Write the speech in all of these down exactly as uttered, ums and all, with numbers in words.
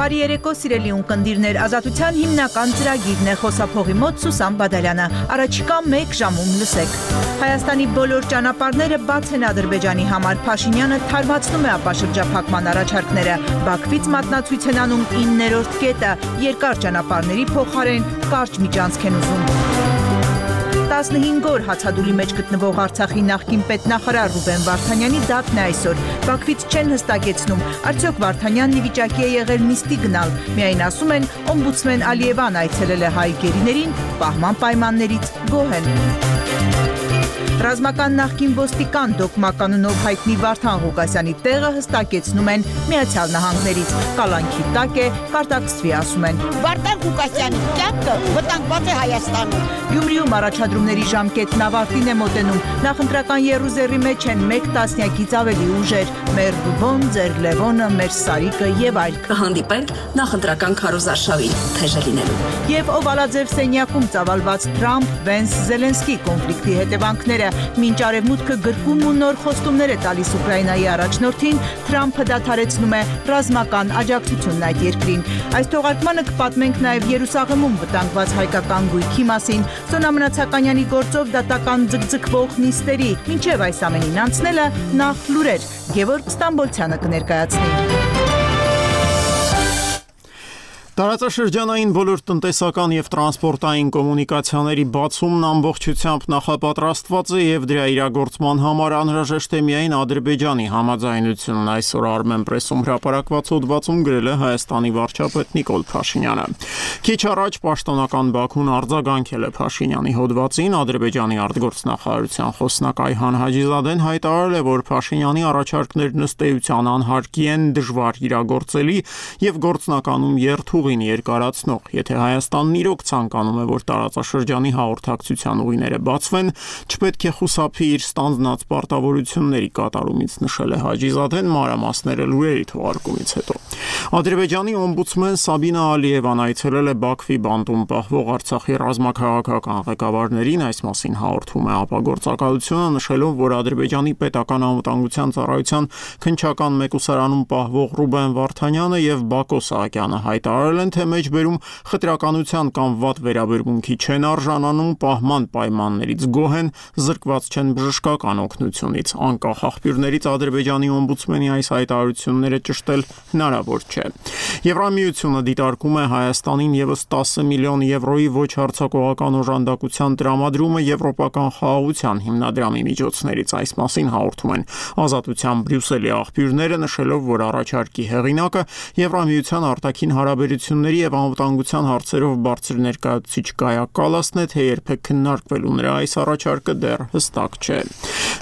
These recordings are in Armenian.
Բարի երեկո, սիրելի ունկնդիրներ, Ազատության հիմնական ծրագիրն է, խոսափողի մոտ Սուսան Բադալյանը, առաջիկա մեկ ժամում լսեք։ Հայաստանի բոլոր ճանապարհները բաց են Ադրբեջանի համար, Փաշինյանը թարմացնում է ապաշրջափակման առաջարկները, Բաքվից մատնացույց են անում իններորդ կետը, երկար ճանապարհների փոխարեն կարճ միջանցք են ուզում։ տասնհինգ օր հացադուլի մեջ գտնվող Արցախի նախկին պետնախարար Ռուբեն Վարդանյանի դատն է այսօր։ Բաքվից չեն հստակեցնում, արդյոք Վարդանյանն ի վիճակի է եղել նիստի գնալ։ Միայն ասում են, օմբուդսմեն Ալիևան այցելել է հայ գերիներին, պահման պայմաններից գոհ են։ Ռազմական նախկին ոստիկան դոկմականունով հայտնի Վարդան Ղուկասյանի տեղը հստակեցնում են Միացյալ Նահանգներից։ Կալանքի տակ է, կարտակցվի ասում են։ Վարդան Ղուկասյանի կյանքը վտանգված է Հայաստանում։ Գյումրիում առաջադրումների ժամկետն ավարտին է մոտենում։ Նախընտրական եռուզեռի մեջ են մեկ տասնյակից ավելի ուժեր՝ մեր Ռուբոն, ձեր Լևոնը, մեր Սարիկը եւ այլ։ Կհանդիպենք նախընտրական քարոզարշավի թեժը լինելու։ Եվ Օվալաձև սենյակում ծավալված Թրամփ-Վենս-Զելենսկի կոնֆլիկտի հետևանքները։ Մինչ արևմուտքը գրկում ու նոր խոստումներ է տալիս Ուկրաինայի առաջնորդին, Թրամփը դադարեցնում է ռազմական աջակցությունն այդ երկրին։ Այս թողարկմանը կպատմենք նաև Երուսաղեմում վտանգված հայկական գույքի մասին, Սոնա Մնացականյանի գործով դատական ձգձգվող նիստերի, մինչև այս ամենին անցնելը նախ լուրեր, Գևորգ Ստամբոլցյանը կներկայացնի։ Տարածաշրջանային բոլոր տնտեսական եւ տրանսպորտային կոմունիկացիաների բացումն ամբողջությամբ նախապատրաստված է եւ դրա իրագործման համար անհրաժեշտ է միայն Ադրբեջանի համաձայնությունն, այսօր Armenpress-ում հրապարակված հոդվածում գրել է Հայաստանի վարչապետ Նիկոլ Փաշինյանը։ Քիչ առաջ պաշտոնական Բաքուն արձագանքել է Փաշինյանի հոդվածին, Ադրբեջանի արտգործնախարարության խոսնակ Այհան Հաջիզադեն հայտարարել է, որ Փաշինյանի առաջարկներն ըստ էության անհարկի են, դժվար իրագործելի եւ գործնականում երթու երկարացնող, եթե Հայաստանն իրոք ցանկանում է, որ տարածաշրջանի հաղորդակցության ուղիները բացվեն, չպետք է խուսափի իր ստանձնած պարտավորությունների կատարումից, նշել է Հաջիզադեն մանրամասները լուրերի թողարկումից հետո։ Ադրբեջանի օմբուդսմեն Սաբինա Ալիևան այցելել է Բաքվի բանտում պահվող Արցախի ռազմաքաղաքական ղեկավարներին, այս մասին հաղորդում է ապագործակալությունը, նշելով, որ Ադրբեջանի պետական անվտանգության ծառայության քննչական մեկուսարանում պահվող Ռուբեն Վարդանյանը եւ Բակո Սահակյանը հայտարարել են, թե մեջբերում խտրականության կամ վատ վերաբերմունքի չեն արժանանում, պահման պայմաններից գոհ են, զրկված չեն բժշկական օգնությունից։ Անկախ աղբյուրներից Ադրբեջանի օմբուդսմենի այս հայտարարությունները ճշտել հնարավոր չէ։ Եվրամիությունը դիտարկում է Հայաստանին եւս տասը միլիոն եվրոյի ոչ հարձակողական օժանդակության տրամադրումը եվրոպական խաղաղության հիմնադրամի միջոցներից, այս մասին հաղորդում են Ազատության Բրյուսելի աղբյուրները, նշելով, որ առաջարկի հեղինակը Եվրամիության արտաքին հարաբերությունների եւ անվտանգության հարցերով բարձր ներկայացուցիչ Կայա Կալասն է, թե երբեք քննարկվելու նրա այս առաջարկը դեռ հստակ չէ։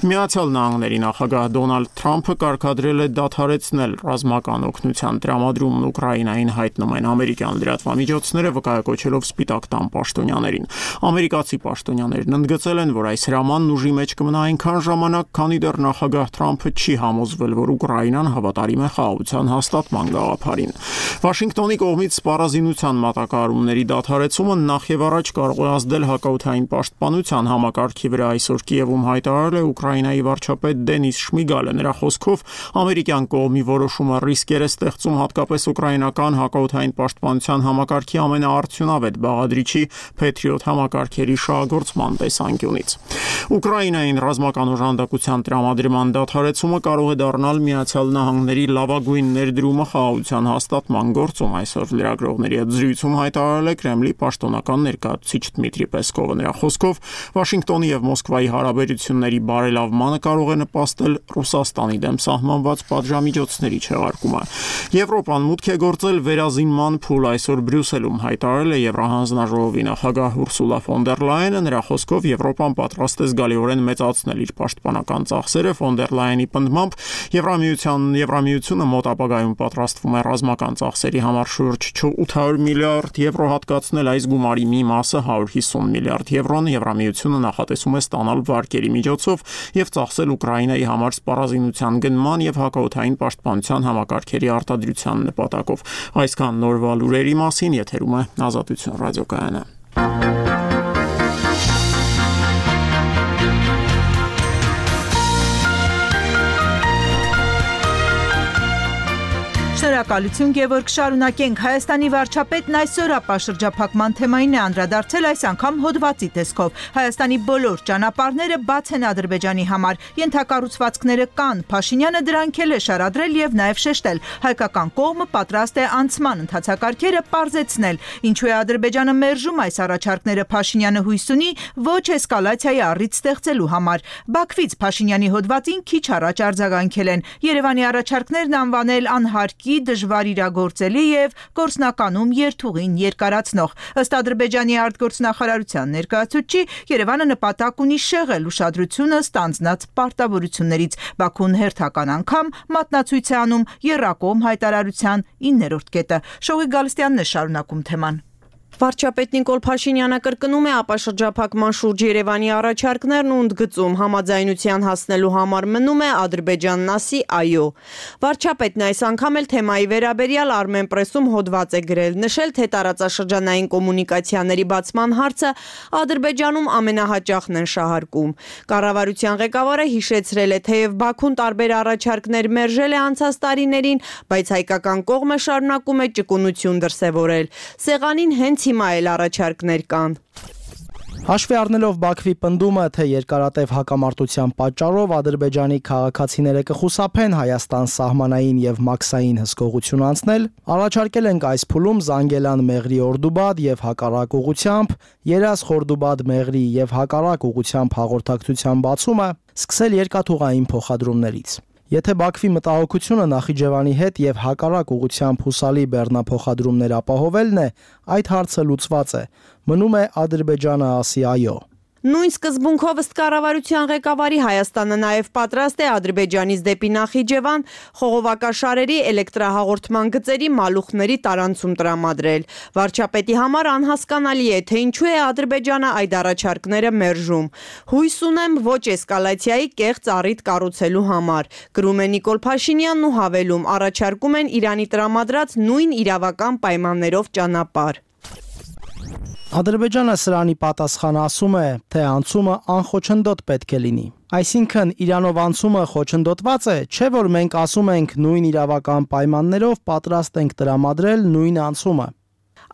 Միացյալ Նահանգների նախագահ Դոնալդ Թրամփը կարգադրել է դադարեցնել ռազմական օգնության տրամադրումն Ուկրաինային, հայտնում են ամերիկյան լրատվամիջոցները, վկայակոչելով Սպիտակ տան պաշտոնյաներին։ Ամերիկացի պաշտոնյաներն ընդգծել են, որ այս հրամանն ուժի մեջ կմնա այնքան ժամանակ, քանի դեռ նախագահ Թրամփը չի համոզվել, որ Ուկրաինան հավատարիմ է խաղաղության հաստատման գաղափարին։ Վաշինգտոնի կողմից սպառազինության մատակարարումների դադարեցումը նախ եւ առաջ կարող է ազդել հակաօդային պաշտպանության համակարգի վրա, այսօր Կիևում հայտարարել է Ուկրաինայի վարչապետ Դենիս Շմիգալը։ Նրա խոսքով ամերիկյան կողմի որոշումը ռիսկեր է ստեղծում հատկապես ուկրաինական հակաօդային պաշտպանության համակարգի ամենաարդյունավետ բաղադրիչի Patriot համակարգերի շահագործման տեսանկյունից։ Ուկրաինային ռազմական օժանդակության տրամադրման դադարեցումը կարող է դառնալ Միացյալ Նահանգների լավագույն ներդրումը խաղաղության հաստատման գործում, այսօր լրագրողների հետ զրույցում հայտարարել է Կրեմլի պաշտոնական ներկայացուցիչ Դմիտրի Պեսկովը։ Նրա խոսքով Վաշինգտոնի եւ Մոսկվայի հարաբերությունների բարելավմանը կարող է նպաստել Ռուսաստանի դեմ սահմանված պատժամիջոցների չեղարկումը։ Եվրոպան մուտք է գործել վերազինման փուլ, այսօր Բրյուսելում հայտարարել է Եվրահանձնաժողովի նախագահ Ուրսուլա ֆոն դեր Լայենը։ Նրա խոսքով Եվրոպան պատրաստ է զգալիորեն մեծացնել իր պաշտպանական ծախսերը։ Ֆոն դեր Լայենի պնդմամբ Եվրամիության Եվրամիությունը մոտ ապագայում պատրաստվում է ռազմական ծախսերի համար շուրջ ութ հարյուր միլիարդ եվրո հատկացնել, այս գումարի մի մասը հարյուր հիսուն միլիարդ եվրոն Եվրամիությունը նախատեսում է ստանալ վարկերի միջոցով եւ ծախսել Ուկրաինայի համար սպառազինության գնման եւ հակաօդային պաշտպանության համակարգերի արտադրության նպատակով։ Այսքան նորվա լուրերի մասին, եթերում է Ազատություն ռադիոկայանը։ Շնորհակալություն, Գևորգ, շարունակենք։ Հայաստանի վարչապետն այսօր ապա շրջափակման թեմային է անդրադարձել, այս անգամ հոդվածի տեսքով։ Հայաստանի բոլոր ճանապարհները բաց են Ադրբեջանի համար, ենթակառուցվածքները կան, Փաշինյանը դրանք էլ է շարադրել եւ նաեւ շեշտել։ Հայկական կողմը պատրաստ է անցման ընթացակարգերը պարզեցնել։ Ինչու է Ադրբեջանը մերժում այս առաջարկները, Փաշինյանը հույս ունի ոչ էսկալացիայի առիթ ստեղծելու համար։ Բաքվից Փաշինյանի հոդվածին քիչ առաջ արձագանքել են։ Երևանի առաջարկներն անվանել անհարկի, դժվար իրագործելի եւ գործնականում երթուղին երկարացնող։ Ըստ Ադրբեջանի արտգործնախարարության ներկայացուցիչի, Երևանը նպատակ ունի շեղել ուշադրությունը ստանձնած պարտավորություններից։ Բաքուն հերթական անգամ մատնացույց է անում եռակողմ հայտարարության իններորդ կետը։ Շողի Գալստյանն է շարունակում թեման։ Վարչապետ Նիկոլ Փաշինյանը կրկնում է ապաշրջափակման շուրջ Երևանի առաջարկներն ու ընդգծում համաձայնության հասնելու համար մնում է Ադրբեջանն ասի այո։ Վարչապետն այս անգամ էլ թեմայի վերաբերյալ Armenpress-ում հոդված է գրել, նշել, թե տարածաշրջանային կոմունիկացիաների բացման հարցը Ադրբեջանում ամենահաճախն են շահարկում։ Կառավարության ղեկավարը հիշեցրել է, թեև Բաքուն տարբեր առաջարկներ մերժել է անցած տարիներին, բայց հայկական կողմը շարունակում է ճկունություն դրսևորել։ Սեղանին հենց հիմա էլ առաջարկներ կան։ Հաշվի առնելով Բաքվի պնդումը, թե երկարատև հակամարտության պատճառով Ադրբեջանի քաղաքացիները կխուսափեն Հայաստան սահմանային եւ մաքսային հսկողություն անցնել, առաջարկել ենք այս փուլում Զանգելան Մեղրի Օրդուբադ եւ հակառակ ուղությամբ, Երազ Խորդուբադ Մեղրի եւ հակառակ ուղությամբ հաղորդակցության բացումը, սկսել երկաթուղային փոխադրումներից։ Եթե Բաքվի մտահոգությունը Նախիջևանի հետ եւ հակառակ ուղությամբ հուսալի բեռնափոխադրումներ ապահովելն է, այդ հարցը լուծված է։ Մնում է Ադրբեջանը ասի այո։ Նույն սկզբունքով ըստ կառավարության ղեկավարի Հայաստանը նաև պատրաստ է Ադրբեջանից դեպի Նախիջևան խողովակաշարերի էլեկտրահաղորդման գծերի մալուխների տարանցում տրամադրել։ Վարչապետի համար անհասկանալի է, թե ինչու է Ադրբեջանը այդ առաջարկները մերժում։ Հույս ունեմ ոչ էսկալացիայի կեղծ առիթ կառուցելու համար, գրում է Նիկոլ Փաշինյանն ու հավելում, առաջարկում են Իրանի տրամադրած նույն իրավական պայմաններով ճանապարհ։ Ադրբեջանը սրանի պատասխան ասում է, թե անցումը անխոչնդոտ պետք է լինի։ Այսինքն Իրանով անցումը խոչընդոտված է, չէ՞ որ մենք ասում ենք նույն իրավական պայմաններով պատրաստ ենք տրամադրել նույն անցումը։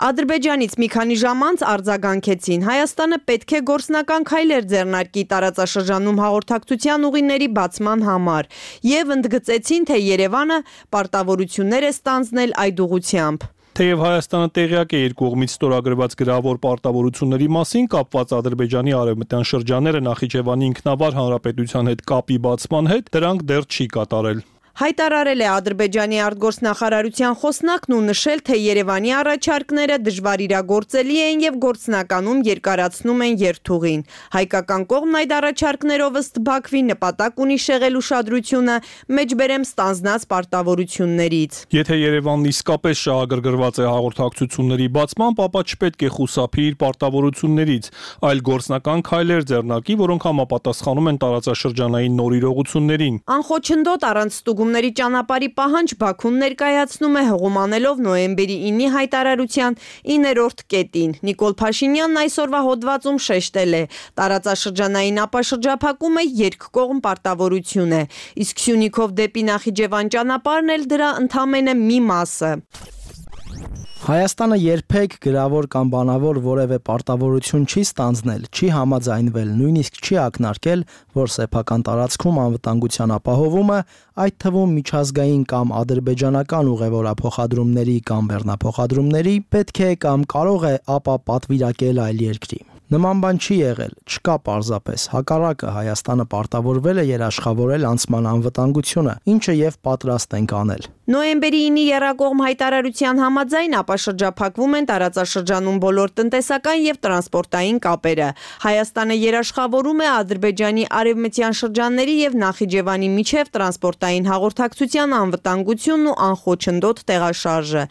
Ադրբեջանից մի քանի ժամ անց արձագանքեցին, Հայաստանը պետք է գործնական քայլեր ձեռնարկի տարածաշրջանում հաղորդակցության ուղիների բացման համար եւ ընդգծեցին, թե Երևանը պարտավորություններ է ստանձնել այդ ուղղությամբ։ Թեև Հայաստանը տեղյակ է երկկողմից ստորագրված գրավոր պարտավորությունների մասին, կապված Ադրբեջանի արևմտյան շրջանները Նախիջևանի ինքնավար հանրապետության հետ կապի բացման հետ, դրանք դեռ չի կատարել։ Հայտարարել է Ադրբեջանի արտգործնախարարության խոսնակն ու նշել, թե Երևանի առաջարկները դժվար իրագործելի են եւ գործնականում երկարացնում են երթուղին։ Հայկական կողմն այդ առաջարկներով ըստ Բաքվի նպատակ ունի շեղել ուշադրությունը մեջբերեմ ստանձնած պարտավորություններից։ Եթե Երևանն իսկապես շահագրգռված է հաղորդակցությունների բացմամբ, ապա չպետք է խուսափի իր պարտավորություններից, այլ գործնական քայլեր ձեռնարկի, որոնք համապատասխանում են տարածաշրջանային նոր իրողություններին։ Անխոչնդոտ առանց ստուգումների ճանապարհի պահանջ Բաքուն ներկայացնում է հղումանելով նոյեմբերի ինի հայտարարության իններորդ կետին։ Նիկոլ Փաշինյանն այսօրվա հոդվածում շեշտել է. տարածաշրջանային ապաշրջափակումը երկկողմ պարտավորություն է, իսկ Սյունիքով դեպի Նախիջևան ճանապարհն էլ դրա ընդամենը մի մասը։ Հայաստանը երբեք գրավոր կամ բանավոր որևէ պարտավորություն չի ստանձնել, չի համաձայնվել, նույնիսկ չի ակնարկել, որ սեփական տարածքում անվտանգության ապահովումը, այդ թվում միջազգային կամ ադրբեջանական ուղևորափոխադրումների կամ բեռնափոխադրումների, պետք է կամ կարող է ապա պատվիրակել այլ երկրի։ Նման բան չի եղել, չկա պարզապես, հակառակը Հայաստանը պարտավորվել է երաշխավորել անցման անվտանգությունը, ինչը եւ պատրաստ ենք անել։ Նոյեմբերի ինի եռակողմ հայտարարության համաձայն ապաշրջափակվում են տարածաշրջանում բոլոր տնտեսական եւ տրանսպորտային կապերը։ Հայաստանը երաշխավորում է Ադրբեջանի արևմտյան շրջանների եւ Նախիջևանի միջև տրանսպորտային հաղորդակցության անվտանգությունն ու անխոչնդոտ տեղաշարժը։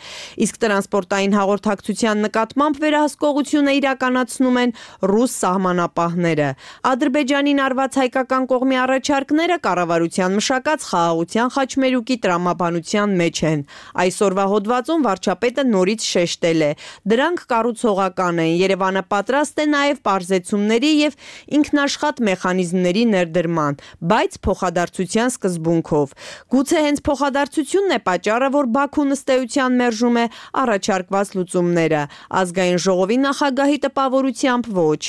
Իսկ տրանսպորտային հաղորդակցության նկատմամբ վերահսկողությունը իրականացնում են ռուս սահմանապահները։ Ադրբեջանին արված հայկական կողմի առաջարկները կառավարության մշակած խաղաղության խաչմերուկի տրամաբանության մեջ են։ Այսօրվա հոդվածում վարչապետը նորից շեշտել է. դրանք կառուցողական են, Երևանը պատրաստ է նաև պարզեցումների եւ ինքնաշխատ մեխանիզմների ներդրման, բայց փոխադարձության սկզբունքով։ Գուցե հենց փոխադարձությունն է պատճառը, որ Բաքուն ըստ էության մերժում է առաջարկված լուծումները։ Ազգային ժողովի նախագահի տպավորությամբ ոչ։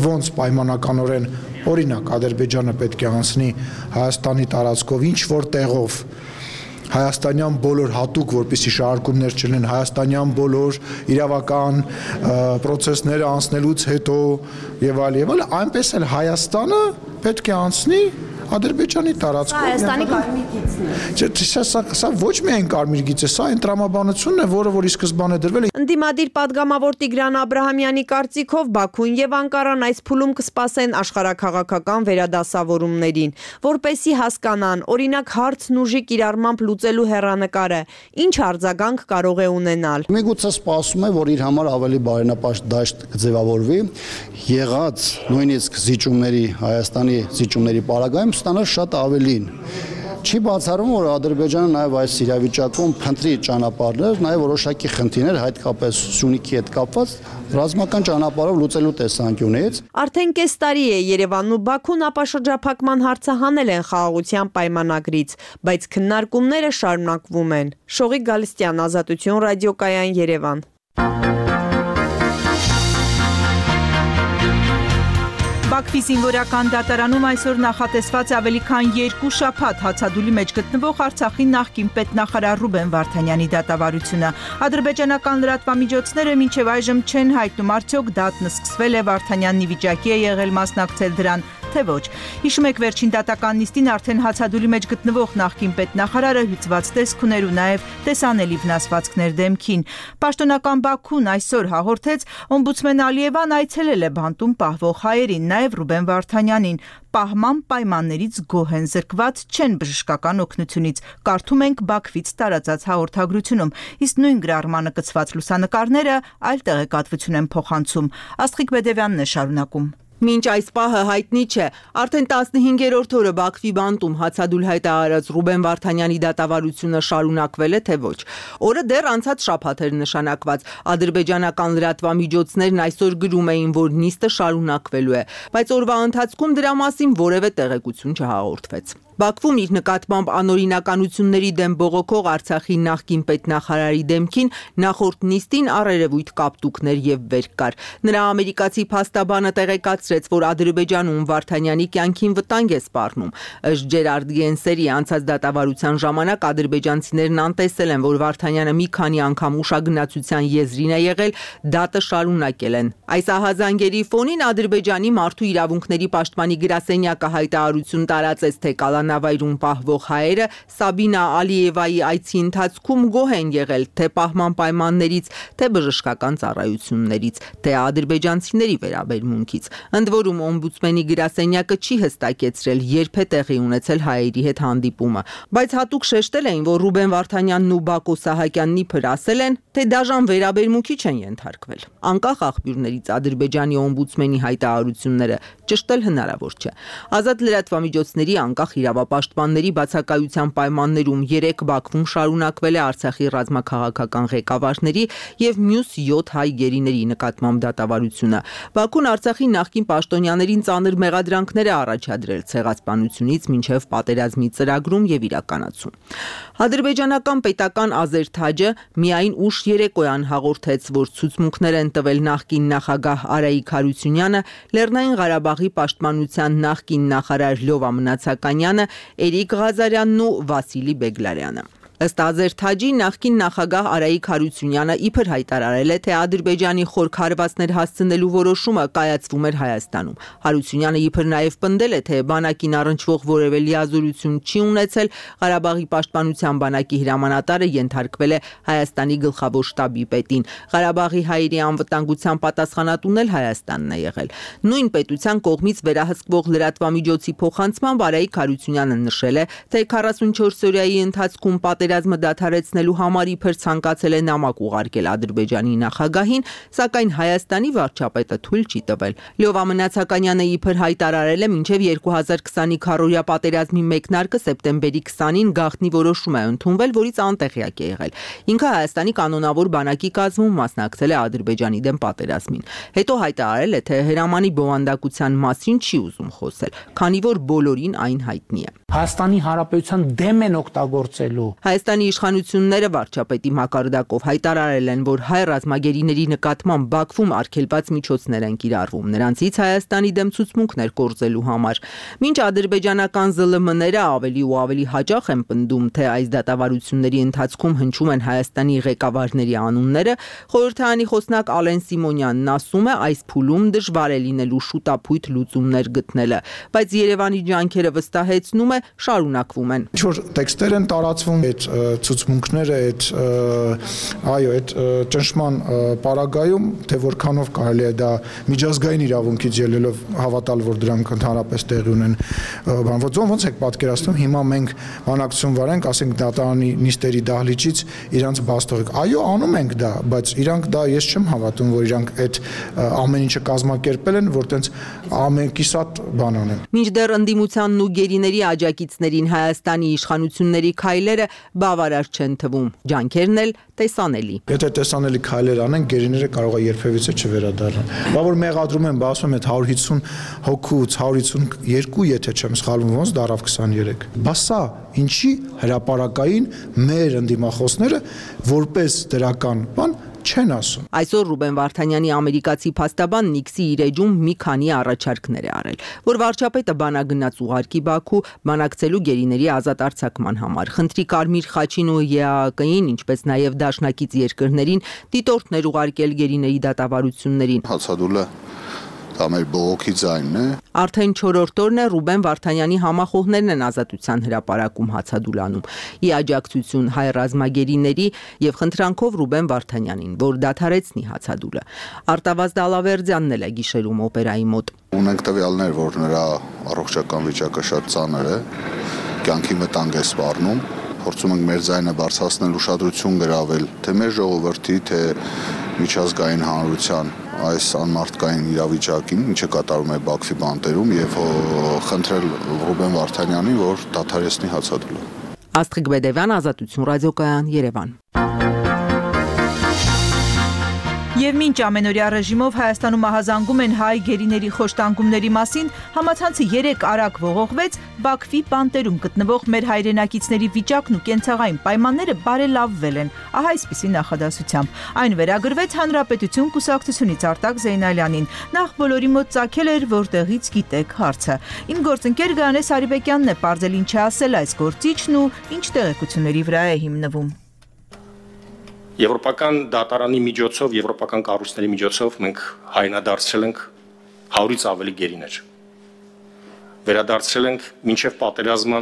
Ոնց պայմանականորեն օրինակ Ադրբեջանը պետք է անցնի Հայաստանի տարածքով ինչ որ տեղով հայաստանյան բոլոր հատուկ, որպեսզի շարժումներ չլինեն, հայաստանյան բոլոր իրավական պրոցեսները անցնելուց հետո եւ այլ եւ այլ, այնպես էլ Հայաստանը պետք է անցնի Ադրբեջանի տարածքով։ Հայաստանի կարմիր գիծն է։ Սա սա ոչ միայն կարմիր գիծ է, սա այն տրամաբանությունն է, որը որ ի սկզբանե դրվել է։ Ընդդիմադիր падգամավոր Տիգրան Աբրահամյանի կարծիքով Բաքուն եւ Անկարան այս փուլում կսպասեն աշխարհաքաղաքական վերադասավորումներին, որպեսզի հասկանան, օրինակ հարցն ուժի կիրառմամբ լուծելու հեռանկարը, ինչ արձագանք կարող է ունենալ։ Միգուցե սպասում է, որ իր համար ավելի բարենապաշտ դաշտ կձևավորվի, եղած նույնիսկ զիջումների, Հայաստանի զիջումների պարագայում ստանալ շատ ավելին։ Չի բացառում, որ Ադրբեջանը նաև այս իրավիճակում փնտրի ճանապարհներ, նաև որոշակի խնդիրներ, հատկապես Սյունիքի հետ կապված ռազմական ճանապարհով լուծելու տեսանկյունից։ Արդեն կես տարի է Երևանն ու Բաքուն ապաշրջափակման հարցը հանել են խաղաղության պայմանագրից, բայց քննարկումները շարունակվում են։ Շողիկ Գալստյան, Ազատություն, ռադիոկայան, Երևան։ Բաքվի զինվորական դատարանում այսօր նախատեսված ավելի քան երկու շաբաթ հացադուլի մեջ գտնվող Արցախի նախկին պետնախարար Ռուբեն Վարդանյանի դատավարությունը։ Ադրբեջանական լրատվամիջոցները մինչև այժմ չեն հայտնում արդյոք դատն սկսվել է, Վարդանյանն ի վիճակի է եղել մասնակցել դրան, թե ոչ։ Հիշում եք վերջին դատական նիստին արդեն հացադուլի մեջ գտնվող նախկին պետնախարարը հյուծված տեսք ուներ ու նաև տեսանելի վնասվածքներ դեմքին։ Պաշտոնական Բաքուն այսօր հաղորդեց, օմբուդսմեն Ալիևան այցելել է բանտում պահվող հայերին, նաև Ռուբեն Վարդանյանին, պահման պայմաններից գոհ են, զրկված չեն բժշկական օգնությունից, կարդում ենք Բաքվից տարածած հաղորդագրությունում, իսկ նույն գրառմանը կցված լուսանկարները այլ տեղեկատվություն են փոխանցում։ Աստղիկ Բեդևյանն է շարունակում։ Մինչ այս պահը հայտնի չէ, արդեն տասնհինգերորդ օրը Բաքվի բանտում հացադուլ հայտարարած Ռուբեն Վարդանյանի դատավարությունը շարունակվել է, թե ոչ։ Օրը դեռ անցած շաբաթ էր նշանակված։ Ադրբեջանական լրատվամիջոցներն այսօր գրում էին, որ նիստը շարունակվելու է, բայց օրվա ընթացքում դրա մասին որևէ տեղեկություն չհաղորդվեց։ Բաքվում իր նկատմամբ անօրինականությունների դեմ բողոքող Արցախի նախկին պետնախարարի դեմքին նախորդ նիստին առերևույթ կապտուկներ եւ վեր կար։ Նրա ամերիկացի փաստաբանը տեղեկացրեց, որ Ադրբեջանում Վարդանյանի կյանքին վտանգ է սպառնում։ Ըստ Ջերարդ Գենսերի անցած դատավարության ժամանակ ադրբեջանցիներն անտեսել են, որ Վարդանյանը մի քանի անգամ ուշագնացության եզրին է եղել, դատը շարունակել են։ Այս ահազանգերի ֆոնին Ադրբեջանի մարդու իրավունքների պաշտպանի գրասենյակը հայտարարություն տարածեց, թե Նավայրում պահվող հայերը Սաբինա Ալիևայի այցի ընթացքում գոհ են եղել թե պահման պայմաններից, թե բժշկական ծառայություններից, թե ադրբեջանցիների վերաբերմունքից։ Ընդ որում օմբուդսմենի գրասենյակը չի հստակեցրել, երբ է տեղի ունեցել հայերի հետ հանդիպումը, բայց հատուկ շեշտել էին, որ Ռուբեն Վարդանյանն ու Բակո Սահակյանն իբր ասել են, թե դաժան վերաբերմունքի չեն ենթարկվել։ Անկախ աղբյուրներից Ադրբեջանի օմբուդսմենի հայտարարությունները ճշտել հնարավոր չէ։ Ազատ լրատվամիջոցների անկախ իրավապաշտպանների բացակայության պայմաններում երեք Բաքվում շարունակվել է Արցախի ռազմաքաղաքական ղեկավարների եւ մյուս յոթ հայ գերիների նկատմամբ դատավարությունը։ Բաքուն Արցախի նախկին պաշտոնյաներին ծանր մեղադրանքներ է առաջադրել ցեղասպանությունից մինչև պատերազմի ծրագրում եւ իրականացում։ Ադրբեջանական պետական Ազերթաջը միայն ուշ երեկոյան հաղորդեց, որ ցուցմունքներ են տվել նախկին նախագահ Արայիկ Հարությունյանը, Լեռնային Ղարաբաղի պաշտպանության նախկին նախարար Լյովա Մնացականյանը, Էրիկ Ղազարյանն ու Վասիլի Բեգլարյանը։ Ըստ Ազերթաջի նախկին նախագահ Արայիկ Հարությունյանը իբր հայտարարել է, թե Ադրբեջանի խորք հարվածներ հասցնելու որոշումը կայացվում էր Հայաստանում։ Հարությունյանը իբր նաև պնդել է, թե բանակին առնչվող որևէ լիազորություն չի ունեցել, Ղարաբաղի պաշտպանության բանակի հրամանատարը ենթարկվել է Հայաստանի գլխավոր շտաբի պետին։ Ղարաբաղի հայերի անվտանգության պատասխանատուն էլ Հայաստանն է եղել։ Նույն պետության կողմից վերահսկվող լրատվամիջոցի փոխանցմամբ Արայիկ Հարությունյանը նշել է, թե քառասունչորս օրյայի ընթացքում պատերազմը դադարեցնելու համար իբր ցանկացել է նամակ ուղարկել Ադրբեջանի նախագահին, սակայն Հայաստանի վարչապետը թույլ չի տվել։ Լյովա Մնացականյանը իբր հայտարարել է մինչև երկու հազար քսանի քառորյա պատերազմի մեկնարկը սեպտեմբերի քսանին գաղտնի որոշում է ընդունվել, որից անտեղյակ է եղել։ Ինքը Հայաստանի կանոնավոր բանակի կազմում մասնակցել է Ադրբեջանի դեմ պատերազմին։ Հետո հայտարարել է, թե հրամանի բովանդակության մասին չի ուզում խոսել, քանի որ բոլորին այն հայտնի է։ Հայաստանի Հանրապետության դեմ են օգտագործելու։ Հայաստանի իշխանությունները վարչապետի մակարդակով հայտարարել են, որ հայ ռազմագերիների նկատմամբ Բաքվում արգելված միջոցներ են կիրառվում, նրանցից Հայաստանի դեմ ցուցմունքներ կորցելու համար։ Մինչ ադրբեջանական զլմ-ները ավելի ու ավելի հաճախ են պնդում, թե այս դատավարությունների ընթացքում հնչում են Հայաստանի ղեկավարների անունները, խորհրդարանի խոսնակ Ալեն Սիմոնյանն ասում է, այս փուլում դժվար է լինելու շուտափույթ լուծումներ գտնելը, բայց Երևանի ջանքերը վստահեցնում է, շարունակվում են։ Ինչ-որ տեքստեր են տարածվում, այդ ցուցմունքները, այդ այո, այդ ճնշման պարագայում, թե որքանով կարելի է դա միջազգային իրավունքից ելնելով հավատալ, որ դրանք ընդհանրապես տեղի ունեն, բանվոց ոնց եք պատկերացնում, հիմա մենք բանակցություն վարենք, ասենք դատարանի նիստերի դահլիճից իրանց բաց թողեք։ Այո, անում ենք դա, բայց իրանք դա ես չեմ հավատում, որ իրանք այդ ամեն ինչը կազմակերպել են, որ տենց ամենքիսատ բան անեն։ Մինչդեռ ընդդիմությանն ու գերիների աջակիցներին Հայաստանի իշխանությունների քայլերը բավարար չեն թվում, ջանքերն էլ տեսանելի։ Եթե տեսանելի քայլեր անեն, գերիները կարող է երբևիցե չվերադառնան։ Բա որ մեղադրում են, ասում են հարյուր հիսուն հոգուց հարյուր հիսուն երկու, եթե չեմ սխալվում, ոնց դարավ քսաներեք։ Բա սա ինչի հրապարակային մեր ընդդիմախոսները որպես դրական բան չեն ասում։ Այսօր Ռուբեն Վարդանյանի ամերիկացի փաստաբան Նիքսի իր էջում մի քանի առաջարկներ է արել, որ վարչապետը բանագնաց ուղարկի Բաքու բանակցելու գերիների ազատ արձակման համար, խնդրի Կարմիր խաչին ու Է Ա Կ-ին, ինչպես նաև դաշնակից երկրներին դիտորդներ ուղարկել գերիների դատավարություններին։ Հացադուլը դա մեր բողոքի ձայնն է։ Արդեն չորրորդ օրն է Ռուբեն Վարդանյանի համախոհներն են ազատության հրապարակում հացադուլանում՝ ի աջակցություն հայ ռազմագերիների եւ խնդրանքով Ռուբեն Վարդանյանին, որ դադարեցնի հացադուլը։ Արտավազդ Ալավերդյանն էլ է գիշերում օպերայի մոտ։ Ունենք տվյալներ, որ նրա առողջական վիճակը շատ ծանր է, կյանքի վտանգ է սպառնում։ Փորձում ենք մեր ձայնը բարձրացնել, ուշադրություն գրավել թե մեր ժողովրդի, թե միջազգային հանրության այս անմարդկային իրավիճակին, ինչը կատարում է Բաքվի բանտերում, եւ խնդրել Ռուբեն Վարդանյանին, որ դադարեցնի հացադուլը։ Աստղիկ Բեդևյան, Ազատություն ռադիոկայան, Երևան։ Եվ մինչ ամենօրյա ռեժիմով Հայաստանում ահազանգում են հայ գերիների խոշտանգումների մասին, համացանցը երեք արագ ողողվեց, Բաքվի բանտերում գտնվող մեր հայրենակիցների վիճակն ու կենցաղային պայմանները բարելավվել են, ահա այսպիսի նախադասությամբ։ Այն վերագրվեց Հանրապետություն կուսակցությունից Արտակ Զեյնալյանին, նախ բոլորի մոտ ծագել էր, որտեղից գիտեք հարցը։ Իմ գործընկեր Գայանե Սարիբեկյանն է պարզել ինչ է ասել այս գործիչն ու ինչ տեղեկությունների վրա է հիմնվում։ Եվրոպական դատարանի միջոցով, եվրոպական կառույցների միջոցով մենք հայնադարձրել ենք հարյուրից ավելի գերիներ։ Վերադարձրել ենք մինչև պատերազմը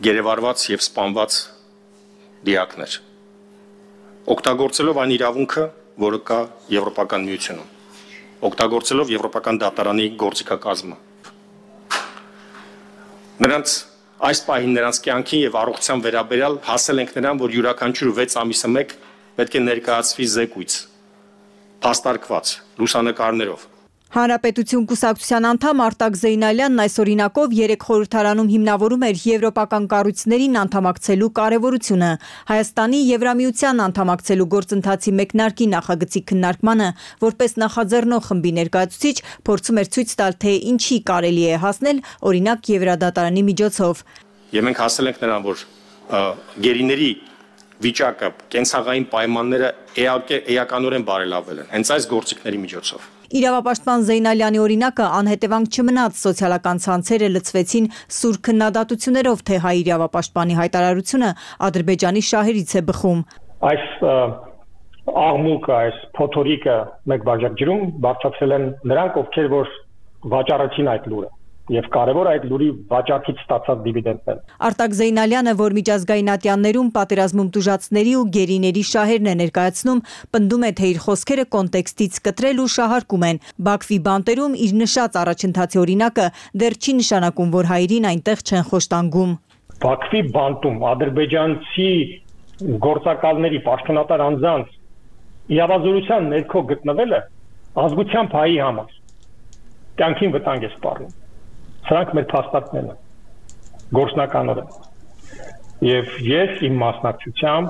գերեվարված եւ սպանված դիակներ։ Օգտագործելով այն իրավունքը, որը կա Եվրոպական միությունում, օգտագործելով եվրոպական դատարանի գործիքակազմը։ Նրանց Այս պահին նրանց կյանքին եւ առողջության վերաբերյալ հասել ենք նրան, որ յուրաքանչյուր վեց ամիսը մեկ պետք է ներկայացվի զեկույց, փաստարկված, լուսանկարներով։ Հանրապետություն կուսակցության անդամ Արտակ Զեյնալյանն այս օրինակով երեք խորհրդարանում հիմնավորում էր եվրոպական կառույցներին անդամակցելու կարևորությունը, Հայաստանի Եվրամիության անդամակցելու գործընթացի մեկնարկի նախագծի քննարկմանը, որպես նախաձեռնող խմբի ներկայացուցիչ, փորձում էր ցույց տալ, թե ինչի կարելի է հասնել, օրինակ Եվրադատարանի միջոցով։ Եվ մենք հասել ենք նրան, որ գերիների վիճակը, կենցաղային պայմանները էականորեն բարելավվել են, հենց այս գործիքների միջոցով։ Իրավապաշտպան Զեյնալյանի օրինակը անհետևանք չմնաց, սոցիալական ցանցերը լցվեցին սուր քննադատություններով, թե հայ իրավապաշտպանի հայտարարությունը Ադրբեջանի շահերից է բխում։ Այս աղմուկը, այս փոթորիկը մեկ բաժակ ջրում բարձրացել են նրանք, ովքեր որ վաճառեցին այդ լուրը։ Եվ կարևոր այդ լուրի վաճառքից ստացած դիվիդենդներ։ Արտակ Զեյնալյանը, որ միջազգային ատյաններում պատերազմում տուժածների ու գերիների շահերն է ներկայացնում, պնդում է, թե իր խոսքերը կոնտեքստից կտրել ու շահարկում են։ Բաքվի բանտերում իր նշած առաջընթացի օրինակը դեռ չի նշանակում, որ հայերին այնտեղ չեն խոշտանգում։ Բաքվի բանտում ադրբեջանցի գործակալների պաշտոնատար անձանց իրավազորության ներքո գտնվելը ազգությամբ հայի համար կյանքին վտանգ է սպառնում։ Սրանք մեր փաստարկներն են, գործնականորեն։ Եվ ես իմ մասնակցությամբ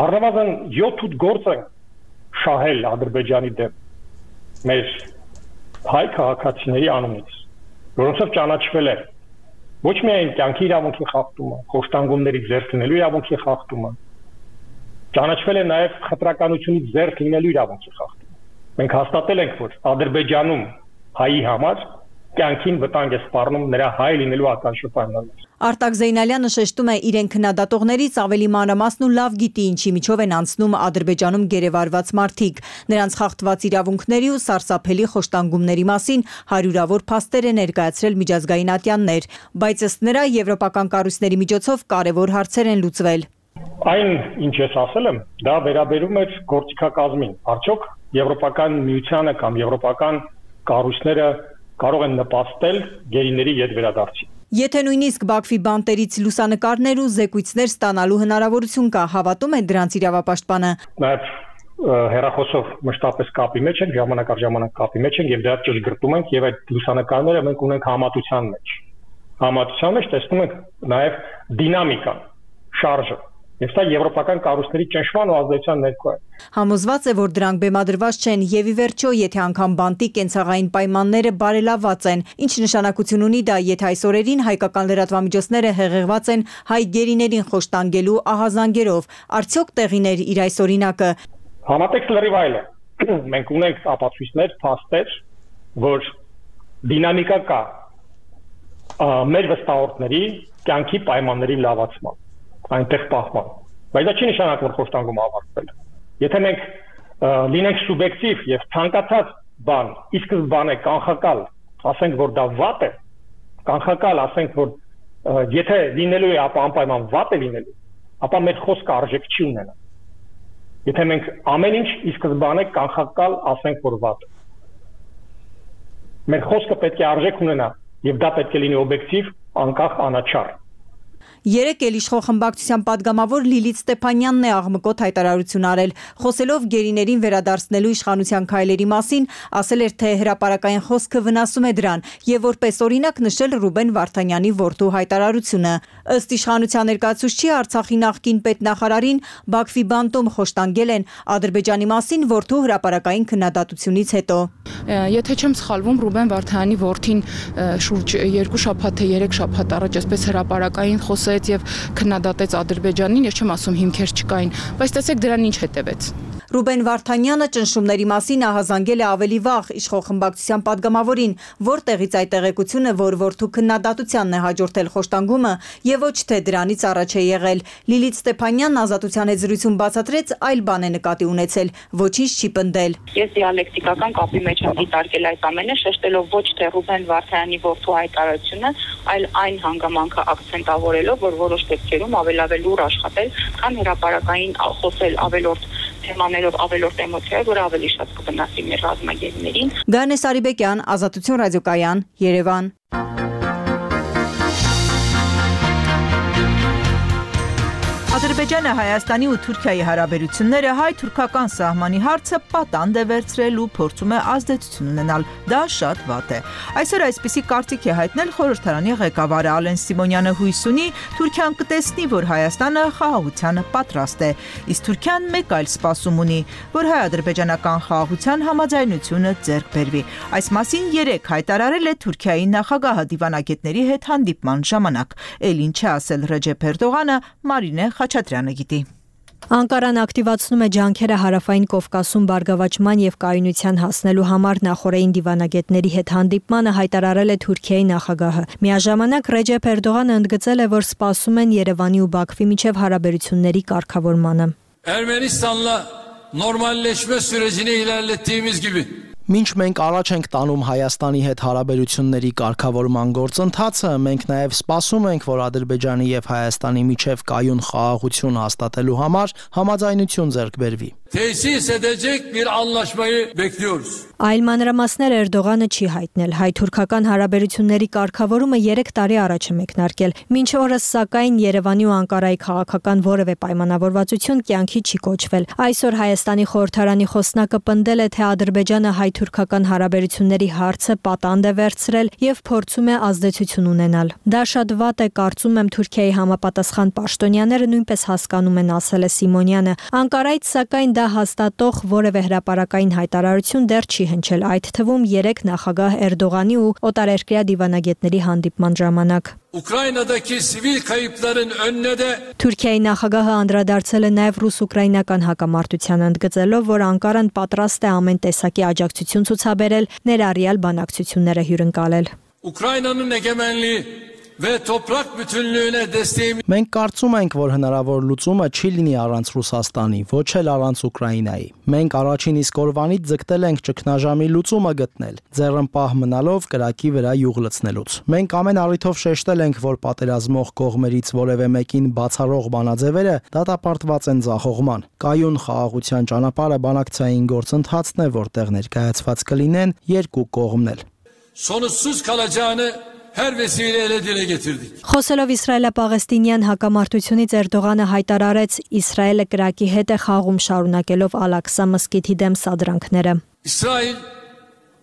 առնվազն յոթ-ութ գործ են շահել Ադրբեջանի դեմ մեր հայ քաղաքացիների անունից, որոնցով ճանաչվել է ոչ միայն կյանքի իրավունքի խախտումը, խոշտանգումների ձեռք լինելու իրավունքի խախտումը, ճանաչվել է նաև խտրականությունից ձեռք լինելու իրավունքի խախտումը։ Մենք հաստատել ենք, որ Ադրբեջանում հայի համար կյանքին վտանգ է սպառնում նրա հայ լինելու ականջը պայմաններ։ Արտակ Զեյնալյանը շեշտում է իրեն քննադատողներից ավելի մանրամասն ու լավ գիտի ինչի միջով են անցնում Ադրբեջանում գերեվարված մարդիկ։ Նրանց խախտված իրավունքների ու սարսափելի խոշտանգումների մասին հարյուրավոր փաստեր է ներկայացրել միջազգային ատյաններ, բայց ըստ նրա եվրոպական կառույցների միջոցով կարևոր հարցեր են լուծվել։ Այն, ինչ ես ասել եմ, դա վերաբերում է գործիքակազմին։ Արդյոք Եվրոպական միությանը կամ եվրոպական կառույցները կարող են նպաստել գերիների ետ վերադարձին։ Եթե նույնիսկ Բաքվի բանտերից լուսանկարներ ու զեկույցներ ստանալու հնարավորություն կա, հավատում է դրանց իրավապաշտպանը։ Նաև հեռախոսով մշտապես կապի մեջ ենք, ժամանակ առ ժամանակ կապի մեջ ենք եւ դրա ճշգրտում ենք եւ այդ լուսանկարները մենք ունենք համատության մեջ։ Համատության մեջ տեսնում ենք նաև դինամիկան, շարժը։ Եվ սա եվրոպական կառույցների ճնշման ու ազդեցության ներքո է։ Համոզված է, որ դրանք բեմադրված չեն եւ ի վերջո, եթե անգամ բանտի կենցաղային պայմանները բարելավված են, ինչ նշանակություն ունի դա, եթե այս օրերին հայկական լրատվամիջոցները հեղեղված են հայ գերիներին խոշտանգելու ահազանգերով, արդյոք տեղիներ իր այս օրինակը։ Համատեքստ լրիվ այլ է։ Մենք ունենք ապացույցներ, փաստեր, որ դինամիկա կա մեր վստահորդների կյանքի պայմանների լավացման, այնտեղ պահման։ Բայց դա չի նշանակում, որ խոշտանգումը ավարտվել է։ Եթե մենք լինենք սուբյեկտիվ եւ ցանկացած բան, ի սկզբանե կանխակալ, ասենք, որ դա վատ է, կանխակալ ասենք, որ եթե լինելու է, ապա անպայման վատ է լինելու, ապա մեր խոսքը արժեք չի ունենա։ Եթե մենք ամեն ինչ ի սկզբանե կանխակալ ասենք, որ վատ է, մեր խոսքը պետք է արժեք ունենա եւ դա պետք է լինի օբյեկտիվ, անկախ, անաչառ։ Երեկ էլ իշխող խմբակցության падգամավոր Լիլիթ Ստեփանյանն է աղմկոտ հայտարարություն արել, խոսելով գերիներին վերադարձնելու իշխանության քայլերի մասին, ասել էր, թե հրապարակային խոսքը վնասում է դրան եւ որպես օրինակ նշել Ռուբեն Վարդանյանի որդու հայտարարությունը։ Ըստ իշխանության ներկայացուցչի Արցախի նախկին պետնախարարին Բաքվի բանտում խոշտանգել են Ադրբեջանի մասին որդու հրապարակային քննադատությունից հետո։ Եթե չեմ սխալվում, Ռուբեն Վարդանյանի որդին շուրջ երկու շաբաթ թե երեք շաբաթ առաջ այսպես հրապարակային խոսեց եւ քննադատեց Ադրբեջանին, ես չեմ ասում հիմքեր չկային, բայց տեսեք դրան ինչ հետևեց։ Ռուբեն Վարդանյանը ճնշումների մասին ահազանգել է ավելի վաղ իշխող խմբակցության падգամավորին, որտեղից այդ տեղեկությունը, որ որդու քննադատությանն է հաջորդել խոշտանգումը եւ ոչ թե դրանից առաջ է եղել։ Լիլիթ Ստեփանյանն Ազատության հետ զրույցում բացատրեց, այլ բան է նկատի ունեցել, ոչինչ չի պնդել։ Ես դիալեկտիկական կապի մեջ եմ դիտարկել այդ ամենը, շեշտելով ոչ թե Ռուբեն Վարդանյանի որդու հայտարարությունը, այլ այն հանգամանքը ակցենտավորելով, որ որոշ դեպքերում ավելավել ուր աշխատել, քան հրապարակային խոսել ավելորդ թեմաներով, ավելորդ էմոցիայով, որը ավելի շատ կվնասի մեր ռազմագերիներին։ Գանե Սարիբեկյան, Ազատություն ռադիոկայան, Երևան։ Ադրբեջանը Հայաստանի ու Թուրքիայի հարաբերությունները հայ-թուրքական սահմանի հարցը պատանդ է վերցրել ու փորձում է ազդեցություն ունենալ։ Դա շատ վատ է։ Այսօր այսպիսի կարծիք է հայտնել խորհրդարանի ղեկավարը Ալեն Սիմոնյանը հույս ունի, Թուրքիան կտեսնի, որ Հայաստանը խաղաղությանը պատրաստ է, իսկ Թուրքիան մեկ այլ սպասում ունի, որ հայ-ադրբեջանական խաղաղության համաձայնությունը ձեռք բերվի։ Այս մասին երեկ հայտարարել է Թուրքիայի նախագահը դիվանագետների հետ հանդիպման ժամանակ։ Էլ ինչ է ասել Ռեջեփ Էրդողանը, Մարինե Խաչատրյանը գիտի։ Անկարան ակտիվացնում է ջանքերը Հարավային Կովկասում բարգավաճման եւ կայունության հասնելու համար նախորդային դիվանագետների հետ հանդիպմանը հայտարարել է Թուրքիայի նախագահը։ Միաժամանակ Ռեջեփ Էրդողանը ընդգծել է, որ սպասում են Երևանի ու Բաքվի միջև հարաբերությունների կարգավորմանը։ Ermenistan'la normalleşme sürecini ilerlettiğimiz gibi Մինչ մենք առաջ ենք տանում Հայաստանի հետ հարաբերությունների կարգավորման գործընթացը, մենք նաև սպասում ենք, որ Ադրբեջանի եւ Հայաստանի միջև կայուն խաղաղություն հաստատելու համար համաձայնություն ձեռք բերվի։ tesis edecek bir anlaşmayı bekliyoruz. Այլ մանրամասներ Էրդողանը չի հայտնել։ Հայ-թուրքական հարաբերությունների կարգավորումը երեք տարի առաջ է մեկնարկել։ Մինչ օրս սակայն Երևանի ու Անկարայի քաղաքական որևէ պայմանավորվածություն կյանքի չի կոչվել։ Այսօր Հայաստանի խորհրդարանի խոսնակը պնդել է, թե Ադրբեջանը հայ-թուրքական հարաբերությունների հարցը պատանդ է վերցրել եւ փորձում է ազդեցություն ունենալ։ Դա շատ վատ է, կարծում եմ Թուրքիայի համապատասխան պաշտոնյաները նույնպես հասկանում են, ասել է Սիմոնյանը։ Անկարայից սակայն դա հաստատող որևէ հրապարակային հայտարարություն դեռ չի հնչել, այդ թվում երեք նախագահ Էրդողանի ու օտարերկրյա դիվանագետների հանդիպման ժամանակ։ Ukrayna'daki sivil kayıpların önüne de Թուրքիայի նախագահը անդրադարձել է նաև ռուս-ուկրաինական հակամարտությանը, ընդգծելով, որ Անկարան պատրաստ է ամեն տեսակի աջակցություն ցուցաբերել, ներառյալ բանակցությունները հյուրընկալել։ Ukrayna'nın egemenliği ve toprak bütünlüğüne desteğimiz Մենք կարծում ենք, որ հնարավոր լուծումը չի լինի առանց Ռուսաստանի, ոչ էլ առանց Ուկրաինայի։ Մենք առաջին իսկ օրվանից ձգտել ենք ճգնաժամի լուծումը գտնել, ձեռնպահ մնալով կրակի վրա յուղ լցնելուց։ Մենք ամեն առիթով շեշտել ենք, որ պատերազմող կողմերից որևէ մեկին բացառող բանաձևերը դատապարտված են ձախողման։ Կայուն խաղաղության ճանապարհը բանակցային գործընթացն է, որտեղ ներկայացված կլինեն երկու կողմն էլ։ sonuçsuz kalacağını her vesileyle dile getirdik. Խոսելով իսրայելա-պաղեստինյան հակամարտությունից Էրդողանը հայտարարեց Իսրայելը կրակի հետ է խաղում շարունակելով Ալ-Ակսա մզկիթի դեմ սադրանքները։ İsrail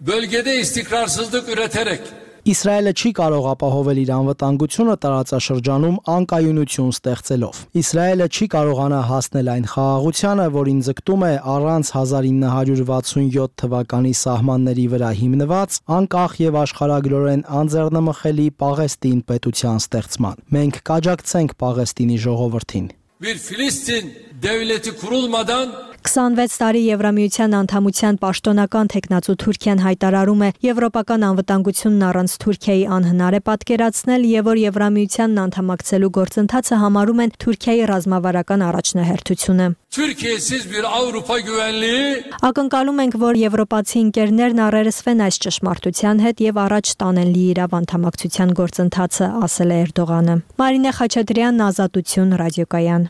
bölgede istikrarsızlık üreterek Իսրայելը չի կարող ապահովել իր անվտանգությունը տարածաշրջանում անկայունություն ստեղծելով։ Իսրայելը չի կարողանա հասնել այն խաղաղությանը, որին ձգտում է առանց հազար ինը հարյուր վաթսունյոթ թվականի սահմանների վրա հիմնված անկախ եւ աշխարհագրորեն անձեռնմխելի Պաղեստին պետության ստեղծման։ Մենք կաջակցենք Պաղեստինի ժողովրդին։ bir Filistin devleti kurulmadan քսանվեց տարի Եվրամիության անդամության պաշտոնական թեկնածու Թուրքիան հայտարարում է եվրոպական անվտանգությունն առանց Թուրքիայի անհնար է պատկերացնել եւ որ Եվրամիությանն անդամակցելու գործընթացը համարում են Թուրքիայի ռազմավարական առաջնահերթությունը։ Türkiye'siz bir Avrupa güvenliği Ակնկալում ենք, որ եվրոպացի ընկերներն առերեսվեն այս ճշմարտության հետ եւ առաջ տանեն լիիրավ անդամակցության գործընթացը, ասել է Էրդողանը։ Մարինե Խաչատրյան, Ազատություն, ռադիոկայան։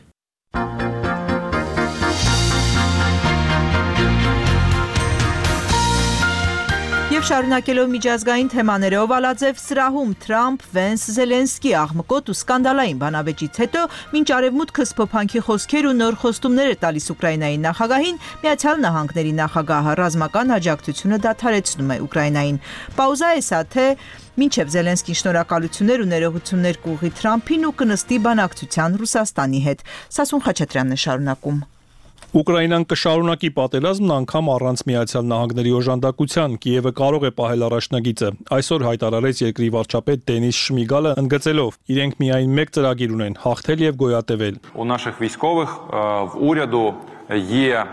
Եվ շարունակելով միջազգային թեմաներով Ալաձև սրահում Թրամփ, Վենս, Զելենսկի աղմկոտ ու սկանդալային բանավեճից հետո մինչ արևմուտքը սփոփանքի խոսքեր ու նոր խոստումներ է տալիս Ուկրաինայի նախագահին, Միացյալ Նահանգների նախագահը ռազմական աջակցությունը դադարեցնում է Ուկրաինային։ Պաուզա է սա, թե մինչև Զելենսկին շնորհակալություններ ու ներողություններ կուղղի Թրամփին ու կնստի բանակցության Ռուսաստանի հետ։ Սասուն Խաչատրյանն է շարունակում։ Ուկրաինան կշարունակի պատերազմն անգամ առանց Միացյալ Նահանգների օժանդակության, Կիևը կարող է պահել առաջնագիծը։ Այսօր հայտարարեց երկրի վարչապետ Դենիս Շմիգալը, ընդգծելով. իրենք միայն մեկ ծրագիր ունեն՝ հաղթել եւ գոյատևել։ У наших військових в уряду є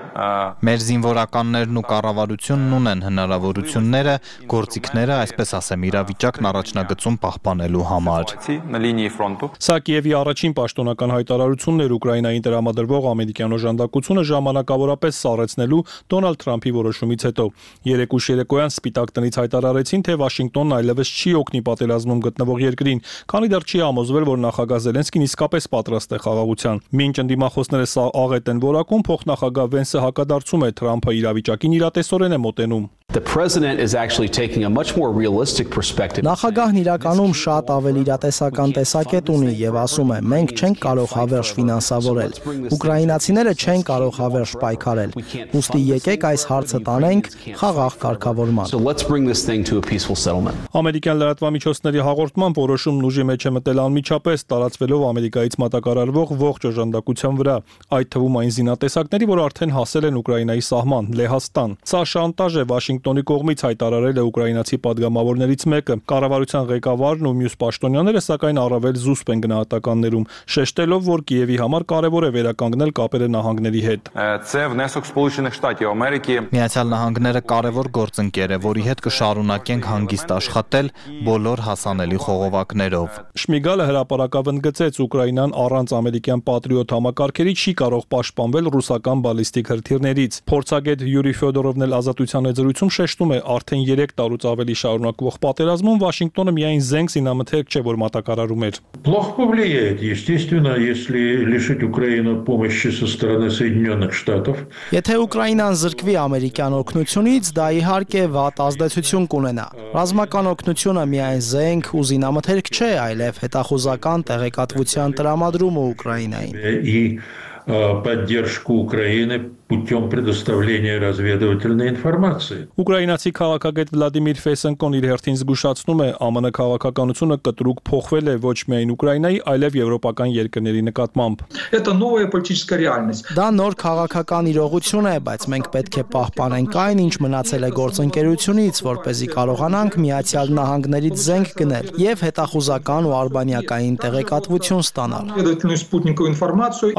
Մեր զինվորականներն ու կառավարությունն ունեն հնարավորությունները, գործիքները, այսպես ասեմ, իրավիճակն առաջնագծում պահպանելու համար։ на лінії фронту. Սա Կիևի առաջին պաշտոնական հայտարարությունն էր Ուկրաինային տրամադրվող ամերիկյան օժանդակությունը ժամանակավորապես սառեցնելու Դոնալդ Թրամփի որոշումից հետո։ Երեկ ուշ երեկոյան Սպիտակ տնից հայտարարեցին, թե Վաշինգտոնն այլևս չի օգնի պատերազմում գտնվող երկրին, քանի դեռ չի համոզվել, որ նախագահ Զելենսկին իսկապես պատրաստ է խաղաղության։ Մինչ ընդդիմախոսները սա աղետ են որակում, փոխնախագահ Վենսը հակադարձում է Թրամփը իրավիճակին իրատեսորեն է մոտենում։ The president is actually taking a much more realistic perspective. Նախագահն իրականում շատ ավելի իրատեսական տեսակետ ունի եւ ասում է. մենք չենք կարող հավերժ ֆինանսավորել։ Ուկրաինացիները չեն կարող հավերժ պայքարել։ Ուստի եկեք այս հարցը տանենք խաղաղ կարգավորման։ So let's bring this thing to a peaceful settlement. Ամերիկյան լրատվամիջոցների հաղորդմամբ որոշումն ուժի մեջ է մտել անմիջապես, տարածվելով Ամերիկայից մատակարարվող ողջ օժանդակության վրա, այդ թվում այն զինատեսակների, որ արդեն հասել են Ուկրաինայի սահման՝ Լեհաստան։ Սա շանտաժ է Վաշինգտոնի կողմից, հայտարարել է ուկրաինացի падգամավորներից մեկը։ Կառավարության ղեկավարն ու մյուս պաշտոնյաները սակայն առավել զուսպ են գնահատականներում, շեշտելով, որ Կիևի համար կարևոր է վերականգնել կապերը նահանգների հետ։ Це внесок Сполучених Штатів Америки. Միացյալ Նահանգները կարևոր գործընկեր է, որի հետ կշարունակենք հանգիստ աշխատել բոլոր հասանելի խողովակներով։ Շմիգալը հրապարակավ ընդգծեց Ուկրաինան առանց ամերիկյան պատրիոտ համակարգերի չի կարող պաշտպանվել ռուսական ռուսական բալիստիկ հրթիռներից։ Փորձագետ Յուրի Ֆյոդորովն էլ Ազատության զրույցում շեշտում է, արդեն երեք տարուց ավելի շարունակվող պատերազմում Վաշինգտոնը միայն զենք զինամթերք չէ, որ մատակարարում էր։ Плохо повлияет, естественно, если лишить Украину помощи со стороны Соединенных Штатов. Եթե Ուկրաինան զրկվի ամերիկյան օգնությունից, դա իհարկե վատ ազդեցություն կունենա։ Ռազմական օգնությունը միայն զենք ու զինամթերք չէ, այլև հետախուզական տեղեկատվության տրամադրումը Ուկրաինային։ И поддержку Украины путем предоставления разведывательной информации. Ուկրաինացի քաղաքագետ Վլադիմիր Ֆեսենկոն իր հերթին զգուշացնում է, ԱՄՆ քաղաքականությունը կտրուկ փոխվել է ոչ միայն Ուկրաինայի, այլև եվրոպական երկրների նկատմամբ։ Это новая политическая реальность. Դա նոր քաղաքական իրողություն է, բայց մենք պետք է պահպանենք այն, ինչ մնացել է գործընկերությունից, որ เป զի կարողանանք Միացյալ Նահանգներից զենք գնել եւ հետախուզական ու արբանյակային տեղեկատվություն ստանալ։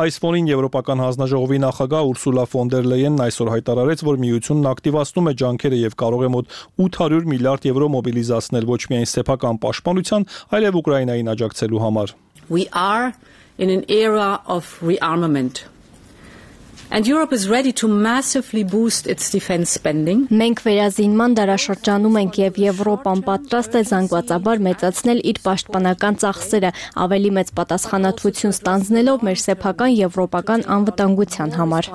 Այս ֆոնին Եվրոպական հանձնաժողովի նախագահ Ուրսուլա ֆոն դեր Լեյենն այսօր հայտարարեց, որ միությունն ակտիվացնում է ջանքերը եւ կարող է մոտ ութ հարյուր միլիարդ եվրո մոբիլիզացնել ոչ միայն սեփական պաշտպանության, այլև Ուկրաինային աջակցելու համար։ We are in an era of rearmament. And Europe is ready to massively boost its defense spending. Մենք վերազինման դարաշրջանում ենք եւ Եվրոպան պատրաստ է զանգվածաբար մեծացնել իր պաշտպանական ծախսերը, ավելի մեծ պատասխանատվություն ստանձնելով մեր սեփական եվրոպական անվտանգության համար։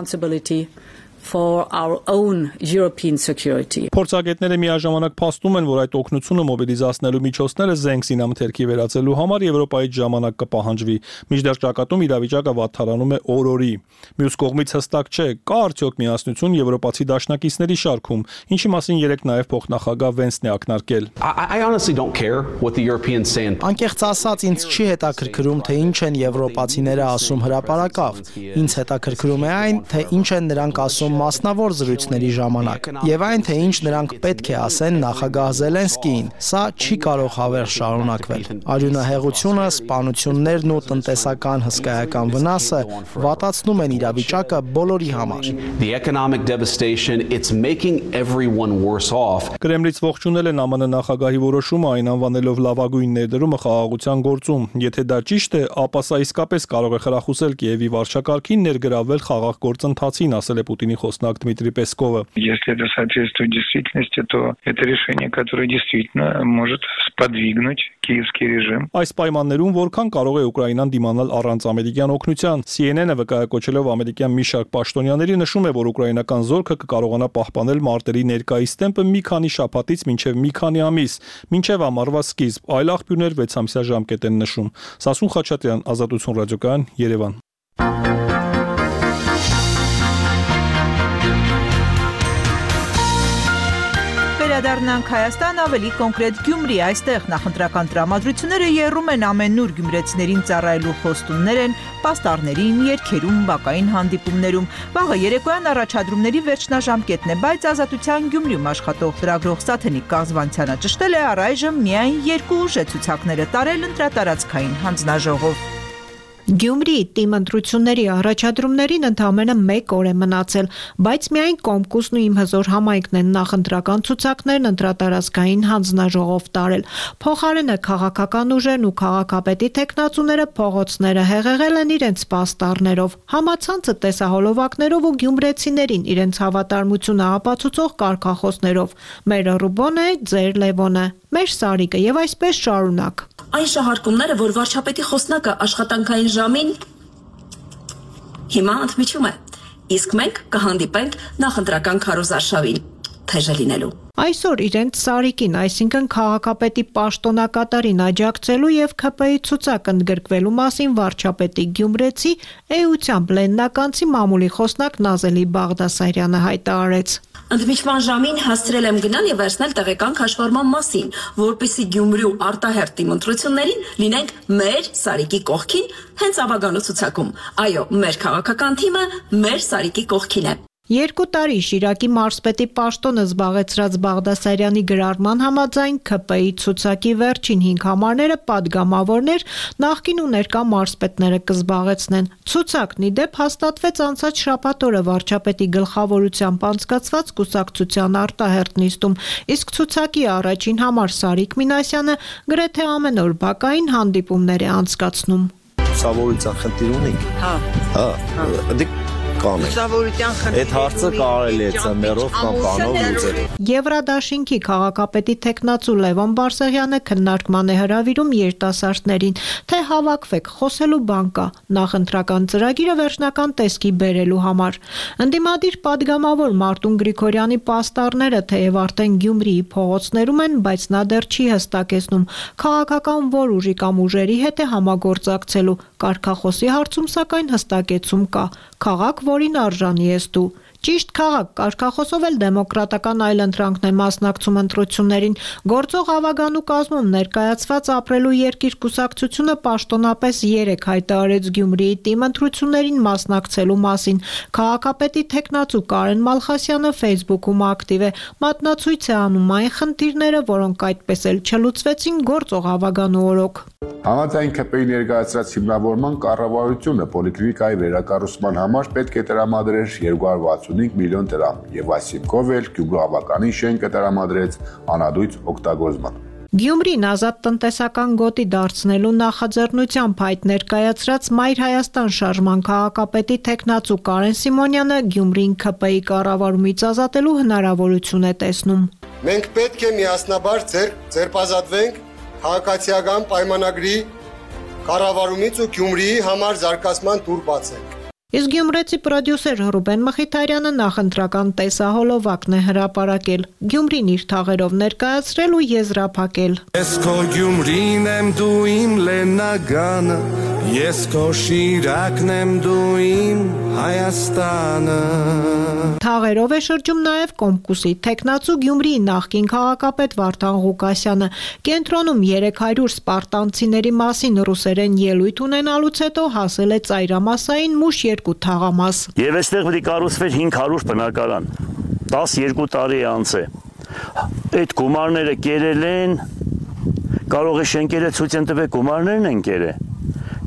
For our own European security. Փորձագետները միաժամանակ փաստում են, որ այդ օգնությունը մոբիլիզացնելու միջոցները զենք զինամթերքի վերածելու համար Եվրոպայից ժամանակ կպահանջվի։ Մինչդեռ ճակատում իրավիճակը վատթարանում է օր-օրի։ Մյուս կողմից հստակ չէ, կա արդյոք միասնություն եվրոպացի դաշնակիցների շարքում, ինչի մասին երեք նաև փոխնախագահ Վենսն է ակնարկել։ I honestly don't care what the Europeans say. Անկեղծ ասած, ինձ չի հետաքրքրում, թե ինչ են եվրոպացիները ասում հրապարակավ։ Ինձ հետաքրքրում է այն, թե ինչ են նրանք ասում մասնավոր զրույցների ժամանակ եւ այն թե ինչ նրանք պետք է ասեն նախագահ Զելենսկիին։ Սա չի կարող հավերժ շարունակվել։ Արյունահեղությունը, սպանություններն ու տնտեսական հսկայական վնասը վատացնում են իրավիճակը բոլորի համար։ The economic devastation, it's making everyone worse off. Կրեմլից ողջունել են ԱՄՆ նախագահի որոշումը, այն անվանելով լավագույն ներդրումը խաղաղության գործում։ Եթե դա ճիշտ է, ապա սա իսկապես կարող է խրախուսել Կիևի վարչակարգին ներգրավվել խաղաղ գործընթացին, ասել է Պուտինի խոսնակ Դմիտրի Պեսկովը։ Если это соответствует действительности, то это решение, которое действительно может сподвигнуть киевский режим. Այս պայմաններում որքան կարող է Ուկրաինան դիմանալ առանց ամերիկյան օգնության։ C N N-ը վկայակոչելով ամերիկյան մի շարք պաշտոնյաների նշում է, որ ուկրաինական զորքը կկարողանա պահպանել մարտերի ներկայիս տեմպը մի քանի շաբաթից մինչև մի քանի ամիս, մինչև ամառվա սկիզբ, այլ աղբյուրներ վեց ամսյա ժամկետ են նշում։ Սասուն Խաչատրյան, Ազատություն ռադիոկայան, Երևան։ Վերադառնանք Հայաստան, ավելի կոնկրետ Գյումրի, այստեղ նախընտրական տրամադրությունները եռում են ամենուր գյումրեցիներին ծառայելու խոստումներ են պաստառներին, երգերում, բակային հանդիպումներում։ Վաղը երեկոյան առաջադրումների վերջնաժամկետն է, բայց Ազատության Գյումրիում աշխատող լրագրող Սաթենիկ Կաղզվանցյանը ճշտել է առայժմ միայն երկու ուժեցուցակները տարել ընտրատարածքային հանձնաժողով։ Գյումրիի թիմ ընտրությունների առաջադրումներին ընդամենը մեկ օր է մնացել, բայց միայն Կոմկուսն ու Իմ հզոր համայնքն են նախընտրական ցուցակներն ընտրատարածքային հանձնաժողով տարել։ Փոխարենը քաղաքական ուժերն ու քաղաքապետի տեխնացուները փողոցները հեղեղել են իրենց պաստառներով, համացանցը տեսահոլովակներով ու գյումրեցիներին իրենց հավատարմությունը ապացուցող կարգախոսներով։ Մեր Ռուբոնը, ձեր Լևոնը, մեր Սարիկը եւ այսպես շարունակ։ Այն շահարկումները, որ վարչապետի խոսնակը աշխատանքային ժամին հիմա ընդմիջում է, իսկ մենք կհանդիպենք նախընտրական քարոզարշավին, թեժը լինելու։ Այսօր իրենց Սարիկին, այսինքն քաղաքապետի պաշտոնակատարին աջակցելու եւ K P-ի ցուցակ ընդգրկվելու մասին վարչապետի Գյումրեցի էությամբ լեննականցի մամուլի խոսնակ Նազելի Բաղդասարյանը հայտարարեց։ Ընդմիջման ժամին հասցրել եմ գնալ եւ վերցնել տեղեկան քաշվառման մասին, որպեսզի Գյումրու արտահերթ թիմ ընտրություններին լինենք մեր Սարիկի կողքին, հենց ավագանու ցուցակում։ Այո, մեր քաղաքական թիմը մեր Սարիկի կողքին է։ Երկու տարի Շիրակի մարզպետի պաշտոնը զբաղեցրած Բաղդասարյանի գրառման համաձայն K P-ի ցուցակի վերջին հինգ համարները падգամավորներ նախկին ու ներկա մարզպետները կզբաղեցնեն։ Ցուցակն ի դեպ հաստատվեց անցած շաբաթ օրը վարչապետի գլխավորությամբ անցկացված կուսակցության արտահերթ նիստում, իսկ ցուցակի առաջին համար Սարիկ Մինասյանը գրեթե ամեն օր բակային հանդիպումներ է անցկացնում։ Ցավոյցան խնդիր ունենք։ Հա։ Հա։ կանենք։ Այդ հարցը կարելի է ծմերով կամ բանով լուծել։ Եվրադաշինքի քաղաքապետի տեխնացու Լևոն Բարսեղյանը քննարկման է հրավիրում երիտասարդներին, թե հավաքվեք, խոսելու բան կա, նախընտրական ծրագիրը վերջնական տեսքի բերելու համար։ Ընդդիմադիր падգամավոր Մարտուն Գրիգորյանի պաստառները թեև արդեն Գյումրիի փողոցներում են, բայց նա դեռ չի հստակեցնում քաղաքական որ ուժի կամ ուժերի հետ է համագործակցելու։ Կարգախոսի հարցում սակայն հստակեցում կա։ Քաղաք, որին արժանի ես դու։ Ճիշտ քաղաք, կարգախոսով էլ դեմոկրատական այլընտրանքն է մասնակցում ընտրություններին։ Գործող ավագանու կազմում ներկայացված ապրելու երկիր կուսակցությունը պաշտոնապես երեք հայտարարեց Գյումրիի թիմ ընտրություններին մասնակցելու մասին։ Քաղաքապետի տեխնացու Կարեն Մալխասյանը Facebook-ում ակտիվ է, մատնացույց է անում այն խնդիրները, որոնք այդպես էլ չլուծվեցին գործող ավագանու օրոք։ Համաձայն ՔՊ-ի ներկայացրած հիմնավորման կառավարությունը պոլիկլինիկայի վերակառուցման համար պետք է տրամադրեր երկու հարյուր վաթսունհինգ միլիոն դրամ եւ այս հիմքով էլ Գյումրու ավականին շենքը տրամադրեց անհատույց օգտագործման։ Գյումրին ազատ տնտեսական գոտի դարձնելու նախաձեռնությամբ հայտ ներկայացրած Մայր Հայաստան շարժման քաղաքապետի տեխնացու Կարեն Սիմոնյանը Գյումրին ՔՊ-ի կառավարումից ազատելու հնարավորություն է տեսնում։ Մենք պետք է միասնաբար ձերբազատվենք քաղաքացիական պայմանագրի կառավարումից ու Գյումրիի համար զարգացման տուր բացենք։ Իսկ գյումրեցի պրոդյուսեր Ռուբեն Մխիթարյանը նախընտրական տեսահոլովակն է հրապարակել, Գյումրին իր թաղերով ներկայացրել ու եզրափակել։ Ես քո Գյումրին եմ, դու իմ Լեննագանը, ես քո Շիրակն եմ, դու իմ Հայաստանը։ Թաղերով է շրջում նաև Կոմկուսի տեխնացու Գյումրիի նախկին քաղաքապետ Վարդան Ղուկասյանը։ Կենտրոնում երեք հարյուր սպարտանցիների մասին ռուսերեն ելույթ ունենալուց հետո հասել է ծայրամասային մուշ երկու թաղամաս։ Եվ այստեղ պետք է կառուցվեր հինգ հարյուր բնակարան, տասներկու տարի է անց է։ Այդ գումարները կերել են, կարող է շենքերը ցույց են տվել գումարներն են կերել,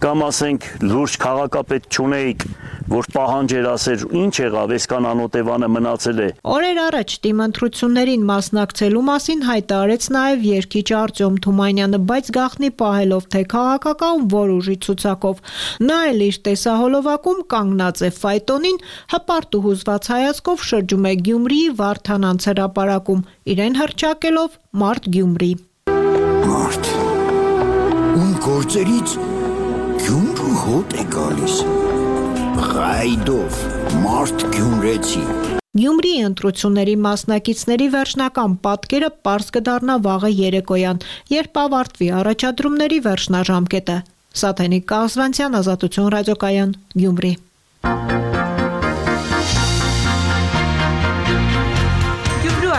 կամ ասենք լուրջ քաղաքապետ չունեիք, որ պահանջեր ասեր ինչ եղավ, այսքան անօտևանը մնացել է։ Օրեր առաջ թիմ ընտրություններին մասնակցելու մասին հայտարարեց նաև երգիչ Արտյոմ Թումանյանը, բայց գաղտնի պահելով թե քաղաքական որ ուժի ցուցակով։ Նա էլ իր տեսահոլովակում կանգնած է ֆայտոնին, հպարտ ու հուզված հայացքով շրջում է Գյումրիի Վարդանանց հրապարակում, իրեն հռչակելով Մարդ Գյումրի։ Մարդ, ում գործերից Գյումրու հոտ է գալիս։ Ղայդով, Մարդ Գյումրեցի։ Գյումրիի ընտրությունների մասնակիցների վերջնական պատկերը պարզ կդառնա վաղը երեկոյան, երբ ավարտվի առաջադրումների վերջնաժամկետը։ Սաթենիկ Կազվանցյան, Ազատություն ռադիոկայան, Գյումրի։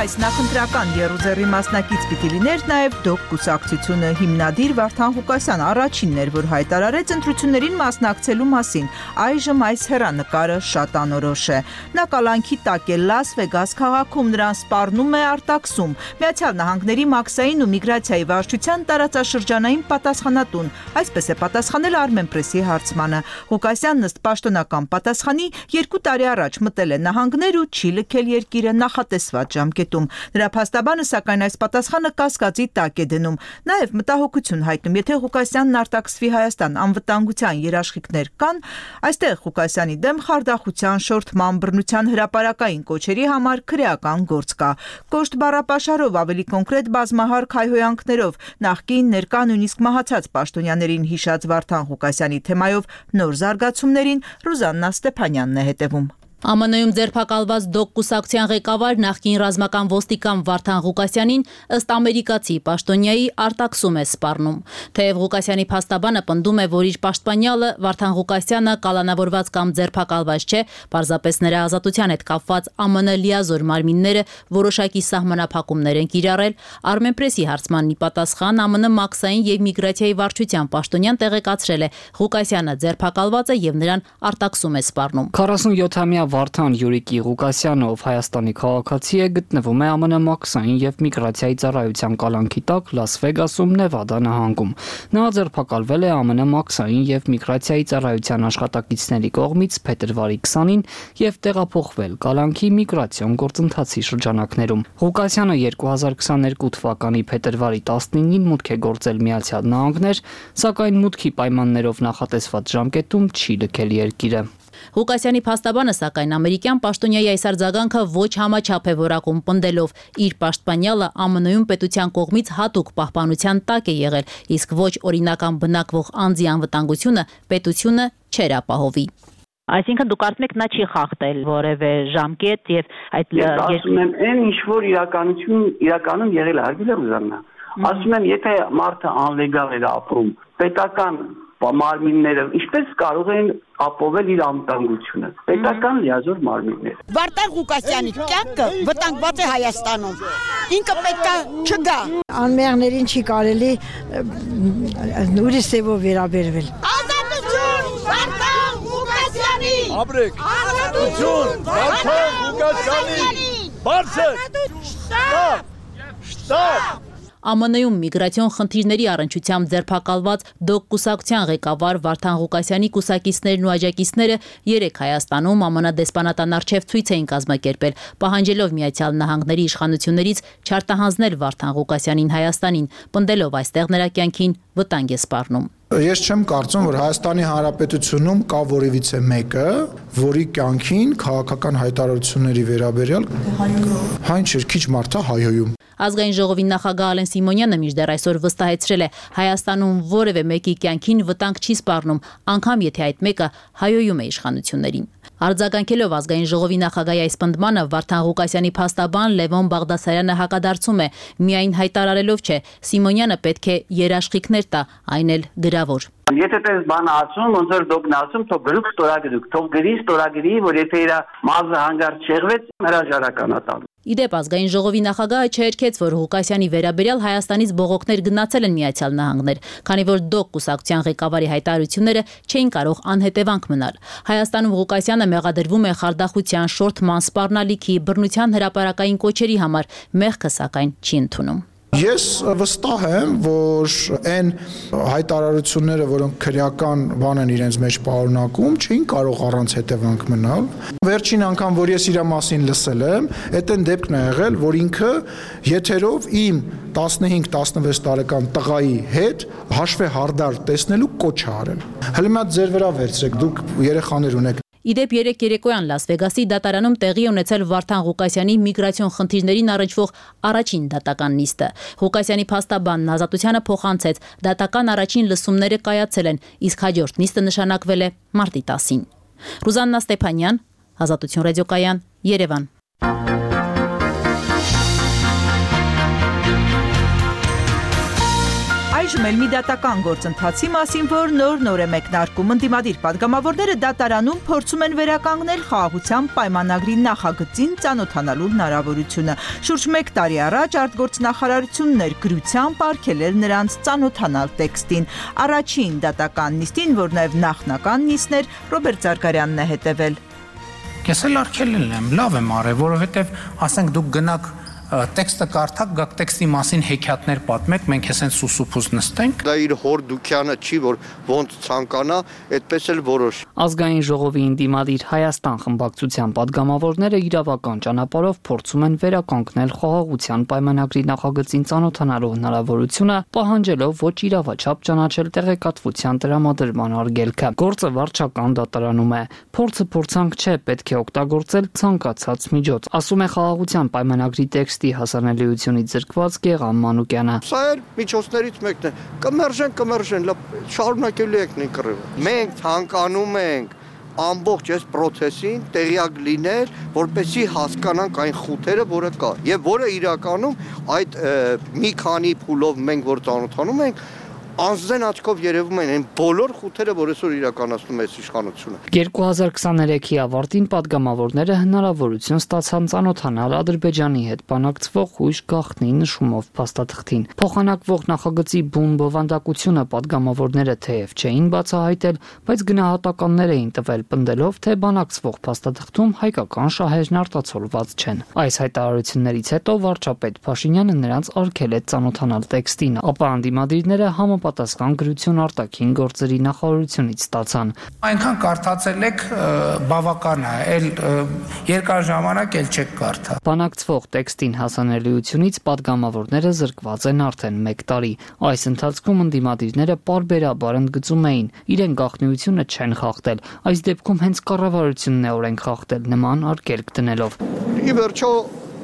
Այս նախընտրական եռուձեռի մասնակից պիտի լիներ նաև ԴՕԿ կուսակցությունը հիմնադիր Վարդան Ղուկասյանը առաջինն էր, որ հայտարարեց ընտրություններին մասնակցելու մասին։ Այժմ այս հեռանկարը շատ անորոշ է։ Նա կալանքի տակ է Լաս Վեգաս քաղաքում, նրան սպառնում է արտաքսում։ Միացյալ Նահանգների մաքսային ու միգրացիայի վարչության տարածաշրջանային պատասխանատուն, այսպես է պատասխանել Armenpress-ի հարցմանը։ Ղուկասյանն ըստ պաշտոնական պատասխանի երկու տարի առաջ մտել է նահանգներ ու չի լքել երկիրը նախատեսված ժամկետում։ Նրա փաստաբանը սակայն այս պատասխանը կասկածի տակ է դնում։ Նաև մտահոգություն հայտնում, եթե Ղուկասյանն արտաքսվի Հայաստան, անվտանգության երաշխիքներ կան, այստեղ Ղուկասյանի դեմ խարդախության, շորթման, բռնության հրապարակային կոչերի համար քրեական գործ կա։ Կոշտ բառապաշարով, ավելի կոնկրետ բազմահարկ հայհոյանքներով նախկին, ներկա, նույնիսկ մահացած պաշտոնյաներին հիշած Վարդան Ղուկասյանի թեմայով նոր զարգացումներին Ռուզաննա Ստեփանյանն է հետևում։ ԱՄՆ-ում ձերբակալված ԴՕԿ կուսակցության ղեկավար նախկին ռազմական ոստիկան Վարդան Ղուկասյանին ըստ ամերիկացի պաշտոնյայի արտաքսում է սպառնում։ Թեև Ղուկասյանի փաստաբանը պնդում է, որ իր պաշտպանյալը Վարդան Ղուկասյանը կալանավորված կամ ձերբակալված չէ, պարզապես նրա ազատության հետ կապված ԱՄՆ լիազոր մարմինները որոշակի սահմանափակումներ են կիրառել, Armenpress-ի հարցմանի պատասխան ԱՄՆ մաքսային եւ միգրացիայի վարչության պաշտոնյան տեղեկացրել է Ղուկասյանը ձերբակալված է եւ նրան արտաքսում է սպառնում։ քառասունյոթամյա Վարդան Յուրիկի Ղուկասյանը, ով Հայաստանի քաղաքացի է, գտնվում է ԱՄՆ մաքսային եւ միգրացիայի ծառայության կալանքի տակ Լաս Վեգասում, Նևադա նահանգում։ Նա ձերբակալվել է ԱՄՆ մաքսային եւ միգրացիայի ծառայության աշխատակիցների կողմից փետրվարի քսանին եւ տեղափոխվել կալանքի միգրացիոն գործընթացի շրջանակներում։ Ղուկասյանը երկու հազար քսաներկու թվականի փետրվարի տասնինին մուտք է գործել Միացյալ Նահանգներ, սակայն մուտքի պայմաններով նախատեսված ժամկետում չի լքել երկիրը։ Ղուկասյանի փաստաբանը սակայն ամերիկյան պաշտոնյայի այս արձագանքը ոչ համաչափ է որակում, պնդելով իր պաշտպանյալը Α M N-ում պետության կողմից հատուկ պահպանության տակ է եղել, իսկ ոչ օրինական բնակվող անձի անվտանգությունը պետությունը չէր ապահովի։ Այսինքն դուք կարծում եք նա չի խախտել որևէ ժամկետ եւ այդ Ես ասում եմ, այն ինչ որ իրականություն իրականում եղել է, հարգելի Ռուզաննա։ Ասում եմ, եթե մարդը անլեգալ էր ապրում, պետական մարմինները ինչպես կարող են ապովել իր անվտանգությունը։ Պետական լիազոր մարմիններ։ Վարդան Ղուկասյանի կյանքը վտանգված է Հայաստանում։ Ինքը պետք է չգա։ Անմեղներին չի կարելի ուրիշ սևով վերաբերվել։ Ազատություն Վարդան Ղուկասյանի։ Ապրեք։ Ազատություն Վարդան Ղուկասյանի։ Բարձր։ Շտապ։ Շտապ։ Ა M N-ում միգրացիոն խնդիրների առնչությամբ ձերբակալված ԴՕԿ կուսակցության ղեկավար Վարդան Ղուկասյանի կուսակիցներն ու աջակիցները երեկ Հայաստանում Ամն դեսպանատան առջև ցույց էին կազմակերպել, պահանջելով Միացյալ Նահանգների իշխանություններից չարտահանձնել Վարդան Ղուկասյանին Հայաստանին, պնդելով այստեղ նրա կյանքին վտանգ է սպառնում։ Ես չեմ կարծում, որ Հայաստանի Հանրապետությունում կա որևիցե մեկը, որի կյանքին քաղաքական հայտարարությունների վերաբերյալ հայն չէ, քիչ մարդ է հայոյում։ Ազգային ժողովի նախագահ Ալեն Սիմոնյանը մինչդեռ այսօր վստահեցրել է, Հայաստանում որևէ մեկի կյանքին վտանգ չի սպառնում, անգամ եթե այդ մեկը հայոյում է իշխանություններին։ Արձագանքելով ազգային ժողովի նախագահի այս պնդմանը Վարդան Ղուկասյանի փաստաբան Լևոն Բաղդասարյանը հակադարձում է, միայն հայտարարելով չէ, Սիմոնյանը պետք է երաշխիքներ տա, այն էլ գրավոր։ Եթե տես բան ասում, ոնց որ դուք ասում, թող գրուք ստորագրուք, թող գրի ստորագրի, որ եթե իր մազը հանգարց չեղվեց, հրաժարական է տալու։ Իդեպ ազգային ժողովի նախագահը չհերքեց, որ Ղուկասյանի վերաբերյալ Հայաստանից բողոքներ գնացել են Միացյալ Նահանգներ, քանի որ ԴՕԿ կուսակցության ղեկավարի հայտարարությունները չէին կարող անհետևանք մնալ։ Հայաստանում Ղուկասյանը մեղադրվում է խարդախության, շորթման, սպառնալիքի, բռնության հրապարակային կոչերի համար, մեղքը սակայն չի ընդունում։ Ես վստահ եմ, որ այն հայտարարությունները, որոնք քրեական բան են իրենց մեջ պարունակում, չէին կարող առանց հետևանք մնալ։ Վերջին անգամ, որ ես իր մասին լսել եմ, այդ այն դեպքն է եղել, որ ինքը եթերով իմ տասնհինգ տասնվեց տարեկան տղայի հետ հաշվե հարդար տեսնելու կոչ է արել։ Հələ մի հատ ձեր վրա վերցրեք, դուք երեխաներ ունեք։ Իդեպ երեք երեկոյան Լաս Վեգասի դատարանում տեղի ունեցել Վարդան Ղուկասյանի միգրացիոն խնդիրներին առնչվող առաջին դատական նիստը։ Ղուկասյանի փաստաբանն ազատությանը փոխանցեց, դատական առաջին լսումները կայացել են, իսկ հաջորդ նիստը նշանակվել է մարտի տասին։ Ռուզաննա Ստեփանյան, Ազատություն ռադիոկայան, Երևան։ Այժմ էլ մի դատական գործընթացի մասին, որ նոր-նոր է մեկնարկում, ընդդիմադիր պատգամավորները դատարանում փորձում են վերականգնել խաղաղության պայմանագրի նախագծին ծանոթանալու հնարավորությունը։ Շուրջ մեկ տարի առաջ արտգործնախարարությունն էր գրությամբ արգելել նրանց ծանոթանալ տեքստին։ Առաջին դատական նիստին, որ նաև նախնական նիստն էր, Ռոբերտ Զարգարյանն է հետևել։ Ես էլ արգելել եմ, լավ եմ արել, որովհետև ասենք դուք գնաք տեքստը կարդաք, գաք տեքստի մասին հեքիաթներ պատմեք, մենք հեսեն սուսուփուս նստենք։ Դա իր հոր դուքյանը չի, որ ոնց ցանկանա, այդպես էլ որոշ։ Ազգային ժողովի ինդիմադիր Հայաստան խմբակցության падգամավորները իրավական ճանապարհով փորձում են վերականգնել խաղաղության պայմանագրի նախագծին ծանոթանալու հնարավորությունը, պահանջելով ոչ իրավաչափ ճանաչել տեղեկատվության տրամադրման արգելքը։ Գործը վարչական դատարանում է։ Փորձը փորձանք չէ, պետք է օգտագործել ցանկացած միջոց, ասում է խաղաղության պայմանագրի տեքստի հասանելիությունից զրկված Գեղամ Մանուկյանը։ Սա էլ միջոցներից մեկն է։ Կմերժեն, կմերժեն, շարունակելու եք նույն կռիվը։ Մենք ցանկանում ենք ամբողջ այս process-ին տեղյակ լինել, որպեսզի հասկանանք այն խութերը, որը կա, եւ որը իրականում այդ մի քանի փուլով մենք որ ծանոթանում ենք, անձնեն աչքով երևում են այն բոլոր խութերը, որ այսօր իրականացնում է այս իշխանությունը։ երկու հազար քսաներեքի ավարտին падգամավորները հնարավորություն ստացան ծանոթանալ Ադրբեջանի հետ բանակցվող հույժ գաղտնի նշումով փաստաթղթին։ Փոխանակվող նախագծի բուն բովանդակությունը падգամավորները թեև չէին բացահայտել, բայց գնահատականներ էին տվել, պնդելով, թե բանակցվող փաստաթղթում հայկական շահերն արտացոլված չեն։ Այս հայտարարություններից հետո վարչապետ Փաշինյանը նրանց արգելեց ծանոթանալ տեքստին, ապա անդիմադիրները համապ համապատասխան գրություն արտաքին գործերի նախարարությունից ստացան։ Այնքան կարդացել եք բավական է, այլ երկար ժամանակ էլ չեք կարդա։ Բանակցվող տեքստին հասանելիությունից падգամավորները զրկված են արդեն մեկ տարի։ Այս ընթացքում ընդդիմադիրները պարբերաբար ընդգծում էին, իրեն գաղտնիությունը չեն խախտել, այս դեպքում հենց կառավարությունն է օրենք խախտել նման արգելք դնելով։ Ի վերջո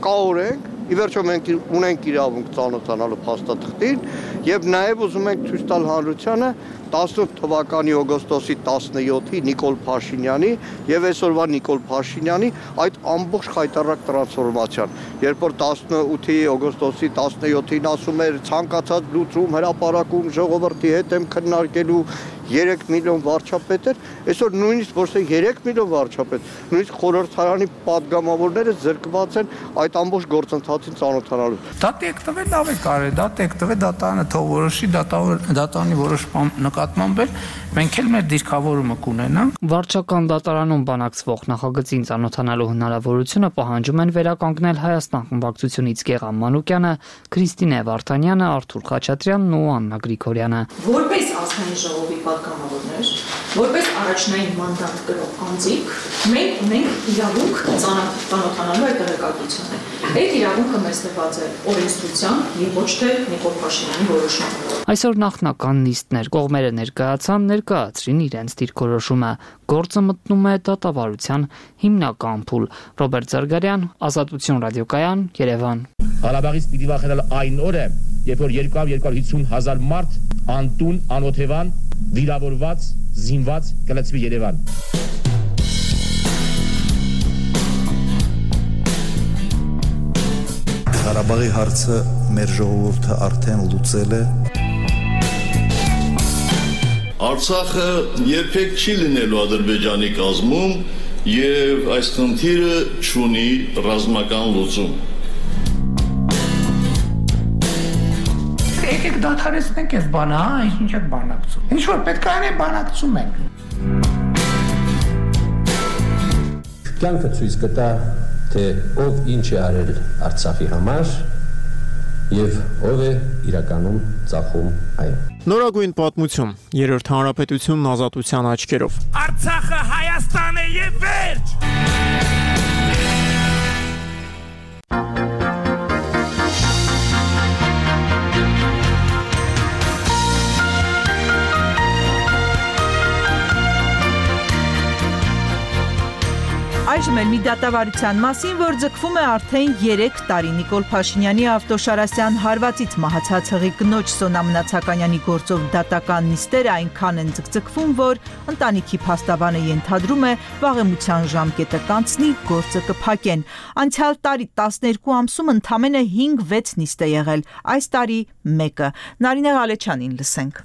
կա օրենք, ի վերջո մենք ունենք իրավունք ծանոթանալու փաստաթղթին եւ նաեւ ուզում ենք ցույց տալ հանրությանը տասնութ թվականի օգոստոսի տասնյոթի Նիկոլ Փաշինյանի եւ այսօրվա Նիկոլ Փաշինյանի այդ ամբողջ խայտառակ տրանսֆորմացիան, երբ որ տասնութի օգոստոսի տասնյոթին ասում էր ցանկացած լուծում հրապարակում ժողովրդի հետ եմ քննարկելու երեք միլիոն վարչապետ էր, այսօր նույնիսկ ոչ թե երեք միլիոն վարչապետ, նույնիսկ խորհրդարանի падգամավորները զրկված են այդ ամբողջ գործընթացին ծանոթանալու։ Դա տեքտվել լավ է կարել, դա տեքտվել դատանը թող որոշի, դատանի որոշման նկատմամբ էլ մենք էլ մեր դիրքավորումը կունենանք։ Վարչական դատարանում բանակցվող նախագծին ծանոթանալու հնարավորությունը պահանջում են վերականգնել Հայաստան խմբակցությունից Գեղամ Մանուկյանը, Քրիստինե Վարդանյանը, Արթուր Խաչատրյանն ու Աննա Գրիգորյանը։ Որպես ազգային ժողովի պատգամավորներ, որպես առաջնային մանդատ կրող անձիկ, մենք ունենք իրավունք ծանոթանալու այդ տեղեկատվությունը։ Այդ իրավունքը մեզ տրված է օրենսդրությամբ եւ ոչ թե Նիկոլ Փաշինյանի որոշմամբ։ Այսօր նախնական նիստներ կողմերը ներկայացան, ներկայացրին իրենց դիրքորոշումը։ Գործը մտնում է դատավարության հիմնական փուլ։ Ռոբերտ Զարգարյան, Ազատություն ռադիոկայան, Երևան։ Ղարաբաղից պիտի վախենալ այն օրը, երբ որ երկու հարյուր հիսուն հազար մարդ անտուն, անօթևան, վիրավորված, զինված կլցվի Երևան։ Ղարաբաղի հարցը մեր ժողովուրդը արդեն լուծել է։ Արցախը երբեք չի լինելու Ադրբեջանի կազմում եւ այս խնդիրը չունի ռազմական լուծում։ Եկեք դադարեցնենք այս բանը, հա, ինչ եք բանակցում։ Ինչ որ պետք է անենք, բանակցում ենք։ Կյանքը ցույց կտա, թե ով ինչ է արել Արցախի համար եւ ով է իրականում ծախում այն։ Նորագույն պատմություն, երրորդ հանրապետությունն ազատության աչքերով։ Արցախը Հայաստան է եւ վերջ։ Այժմ էլ մի դատավարության մասին, որ ձգվում է արդեն երեք տարի Նիկոլ Փաշինյանի Ավտոշարասյան հարվածից մահացած հղի կնոջ Սոնա Մնացականյանի գործով դատական նիստերը այնքան են ձգձգվում, որ ընտանիքի փաստաբանը ենթադրում է վաղեմության ժամկետը կանցնի, գործը կփակեն։ Անցյալ տարի տասներկու ամսում ընդամենը հինգ-վեց նիստ է եղել, այս տարի մեկը։ Նարինե Ղալեչյանին լսենք։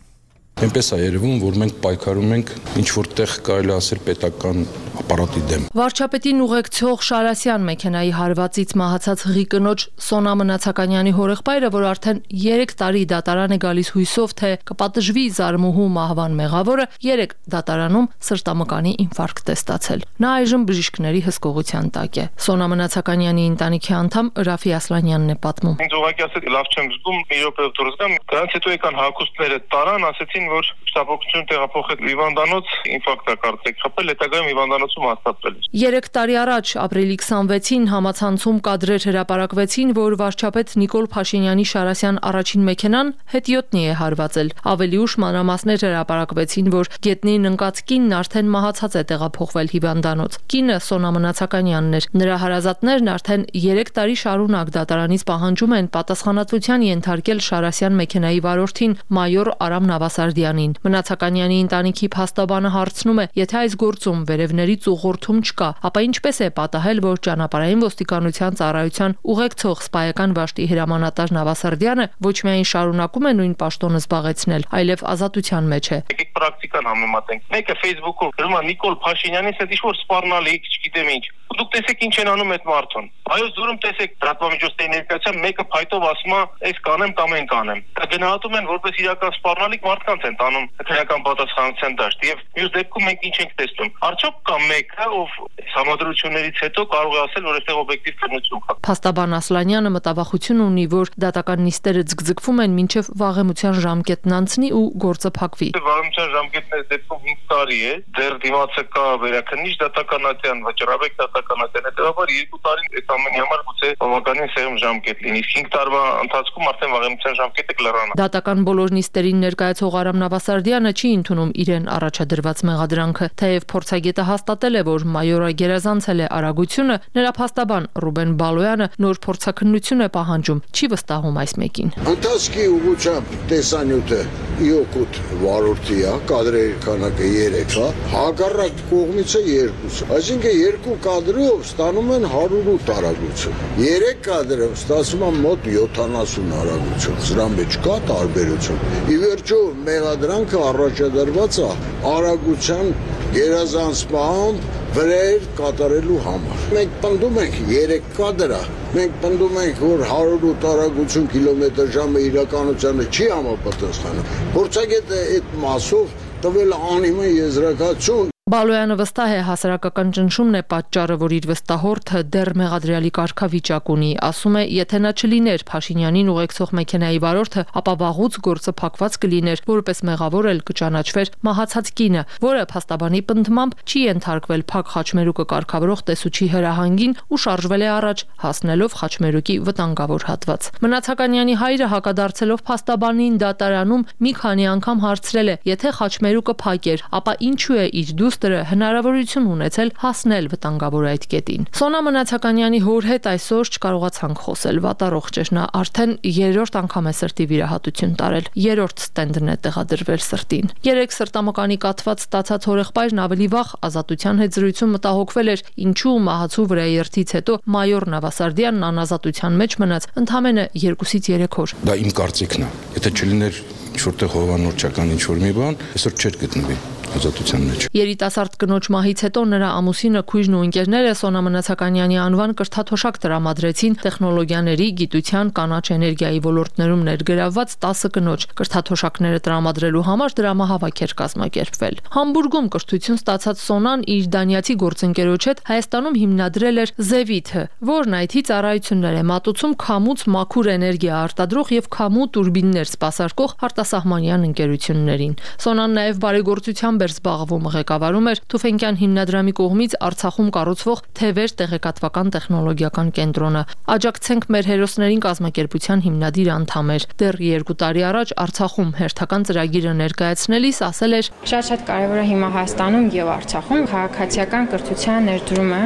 Այնպես է երևում, որ մենք պայքարում ենք ինչ-որ տեղ կարելի ասել պետական ապարատի դեմ։ Վարչապետին ուղեկցող Շարասյան մեքենայի հարվածից մահացած հղի կնոջ Սոնա Մնացականյանի հորեղբայրը, որ արդեն երեք տարի դատարան է գալիս հույսով, թե կպատժվի զարմուհու մահվան մեղավորը, երեք դատարանում սրտամկանի ինֆարկտ է ստացել։ Նա այժմ բժիշկների հսկողության տակ է։ Սոնա Մնացականյանի ընտանիքի անդամ Ռաֆի Ասլանյանն է պատմում։ Ինձ ուղղակի ասել լավ չեմ զգում, մի րոպեով դուրս գամ, դրանից հետո եկան հագուստները տարան, ասեցին, որ շտապօգնություն տեղափոխել հիվանդանոց, ինֆարկտ է կարծեք խփել, հետագայում հիվանդանոցում հաստատվել է։ Երեք տարի առաջ ապրիլի քսանվեցին համացանցում կադրեր հրապարակվեցին, որ վարչապետ Նիկոլ Փաշինյանի Շարասյան առաջին մեքենան հետիոտնի է հարվածել։ Ավելի ուշ մանրամասներ հրապարակվեցին, որ գետնին ընկած կինն արդեն մահացած է տեղափոխվել հիվանդանոց։ Կինը Սոնա Մնացականյանն էր։ Նրա հարազատներն արդեն երեք տարի շարունակ դատարանից պահանջում են պատասխանատվության ենթարկել Շարասյան մեքենայի վարորդին մայոր Արամ Նավասարդյանին։ Մնացականյանի ընտանիքի փաստաբանը հարցնում է, եթե այս գործում վերևներից ուղղորդում չկա, ապա ինչպես է պատահել, որ ճանապարհային ոստիկանության ծառայության ուղեկցող սպայական վաշտի հրամանատար Նավասարդյանը ոչ միայն շարունակում է նույն պաշտոնը զբաղեցնել, այլև ազատության մեջ է։ Եկեք պրակտիկան համեմատենք։ Մեկը Facebook-ով գրում է Նիկոլ Փաշինյանից հետ ինչ-որ սպառնալիք, չգիտեմ ինչ։ ու դուք տեսեք ինչ են անում այդ մարդուն։ Այո, զուրում տեսեք լրատվամիջոցների ներկայացիան մեկը փայտով ասում է, «Էս կանեմ կամ այն կանեմ»։ Դա գնահատում են որպես իրական սպառնալիք մարդկանց են տանում քրեական պատասխանատվության դաշտ եւ մյուս դեպքում մենք ինչ ենք տեսնում։ Արդյոք կա մեկը, ով համադրություններից հետո կարող է ասել, որ այստեղ օբյեկտիվ քննություն կա։ Փաստաբան Ասլանյանը մտավախություն ունի, որ դատական նիստերը ձգձգվում են մինչև վաղեմության ժամկետն անցնի ու գործը փակվի։ Վաղեմության ժամկետն այս դեպքում հինգ տարի է, դեռ դիմացը կա վերաքննիչ դատականատյան, վճռաբեկ դատականատյան, հետեւաբար երկու տարի այդ ամենի համար գուցե բավականին սեղմ ժամկետ լինի։ հինգ տարվա ընթացքում արդեն վաղեմության ժամկետը կլրանա։ Դատական բոլոր նիստերին ներկայացող Արամ Նավասարդյանը չի ընդունում իրեն առաջադրված մեղադրանքը, թեև փորձագետը հաստատել է, որ մայորը գերազանցել է արագությունը, նրա փաստաբան Ռուբեն Բալոյանը նոր փորձաքննություն է պահանջում, չի վստահում այս մեկին։ Ընթացքի ուղղությամբ տեսանյութը իօկուտ վարորդի է, կադրերի քանակը երեք է, հակառակ կողմիցը երկուսը։ Այսինքն երկու կադրով ստանում են հարյուր ութ արագություն։ Երեք կադրով ստացվում է մոտ յոթանասուն արագություն։ Սրա մեջ կա տարբերություն։ Ի վերջո մեղադրանքը առաջադրված է արագության գերազանցման վրեր կատարելու համար։ Մենք պնդում ենք երեք կադրա, մենք պնդում ենք, որ հարյուր ութ արագություն կիլոմետր ժամը իրականությանը չի համապատասխանում։ Փորձագետը այդ մասով տվել անիմը եզրակացություն։ Բալոյանը վստահ է հասարակական ճնշումն է պատճառը, որ իր վստահորդը դեռ մեղադրյալի կարգավիճակ ունի, ասում է, եթե նա չլիներ Փաշինյանին ուղեկցող մեքենայի վարորդը, ապա վաղուց գործը փակված կլիներ, որպես մեղավոր էլ կճանաչվեր մահացած կինը, որը փաստաբանի պնդմամբ չի ենթարկվել փակ խաչմերուկը կարգավորող տեսուչի հրահանգին ու շարժվել է առաջ, հասնելով խաչմերուկի վտանգավոր հատված։ Մնացականյանի հայրը հակադարձելով փաստաբանին դատարանում մի քանի անգամ հարցրել է, եթե խաչմերուկը փակ էր, ապա ինչու է իր դուստրը հնարավորություն ունեցել հասնել վտանգավոր այդ կետին։ Սոնա Մնացականյանի հոր հետ այսօր չկարողացանք խոսել, վատառողջ էր, նա արդեն երրորդ անգամ է սրտի վիրահատություն տարել, երրորդ ստենդն է տեղադրվել սրտին։ Երեք սրտամկանի կաթված ստացած հորեղբայրն ավելի վաղ ազատության հետ զրույցում մտահոգվել էր, ինչու մահացու վրայերթից հետո մայոր Նավասարդյանն անազատության մեջ մնաց ընդամենը երկուսից երեք օր։ Դա իմ կարծիքն է։ Եթե չլիներ ինչ-որտեղ հովանորչական ինչ-որ մի բան, այսօր չէր գտնվի ազատության մեջ։ Երիտասարդ կնոջ մահից հետո նրա ամուսինը, քույրն ու ընկերները Սոնա Մնացականյանի անվան կրթաթոշակ տրամադրեցին տեխնոլոգիաների, գիտության, կանաչ էներգիայի ոլորտներում ներգրավված տասը կնոջ։ Կրթաթոշակները տրամադրելու համար դրամահավաք էր կազմակերպվել։ Համբուրգում կրթություն ստացած Սոնան իր դանիացի գործընկերոջ հետ Հայաստանում հիմնադրել էր Զևիթը, որն այ թի ծառայություններ է մատուցում քամուց մաքուր էներգիա արտադրող եւ քամու տուրբիններ սպասարկող արտասահմանյան ընկերություններին։ Սոնան նաեւ բարեգործությամբ էր զբաղվում, ղեկավարում էր Թուֆենկյան հիմնադրամի կողմից Արցախում կառուցվող Թևեր տեղեկատվական տեխնոլոգիական կենտրոնը։ Աջակցենք մեր հերոսներին կազմակերպության հիմնադիր անդամ էր։ Դեռ երկու տարի առաջ Արցախում հերթական ծրագիրը ներկայացնելիս ասել էր. Շատ-շատ կարևոր է հիմա Հայաստանում եւ Արցախում քաղաքացիական կրթության ներդրումը,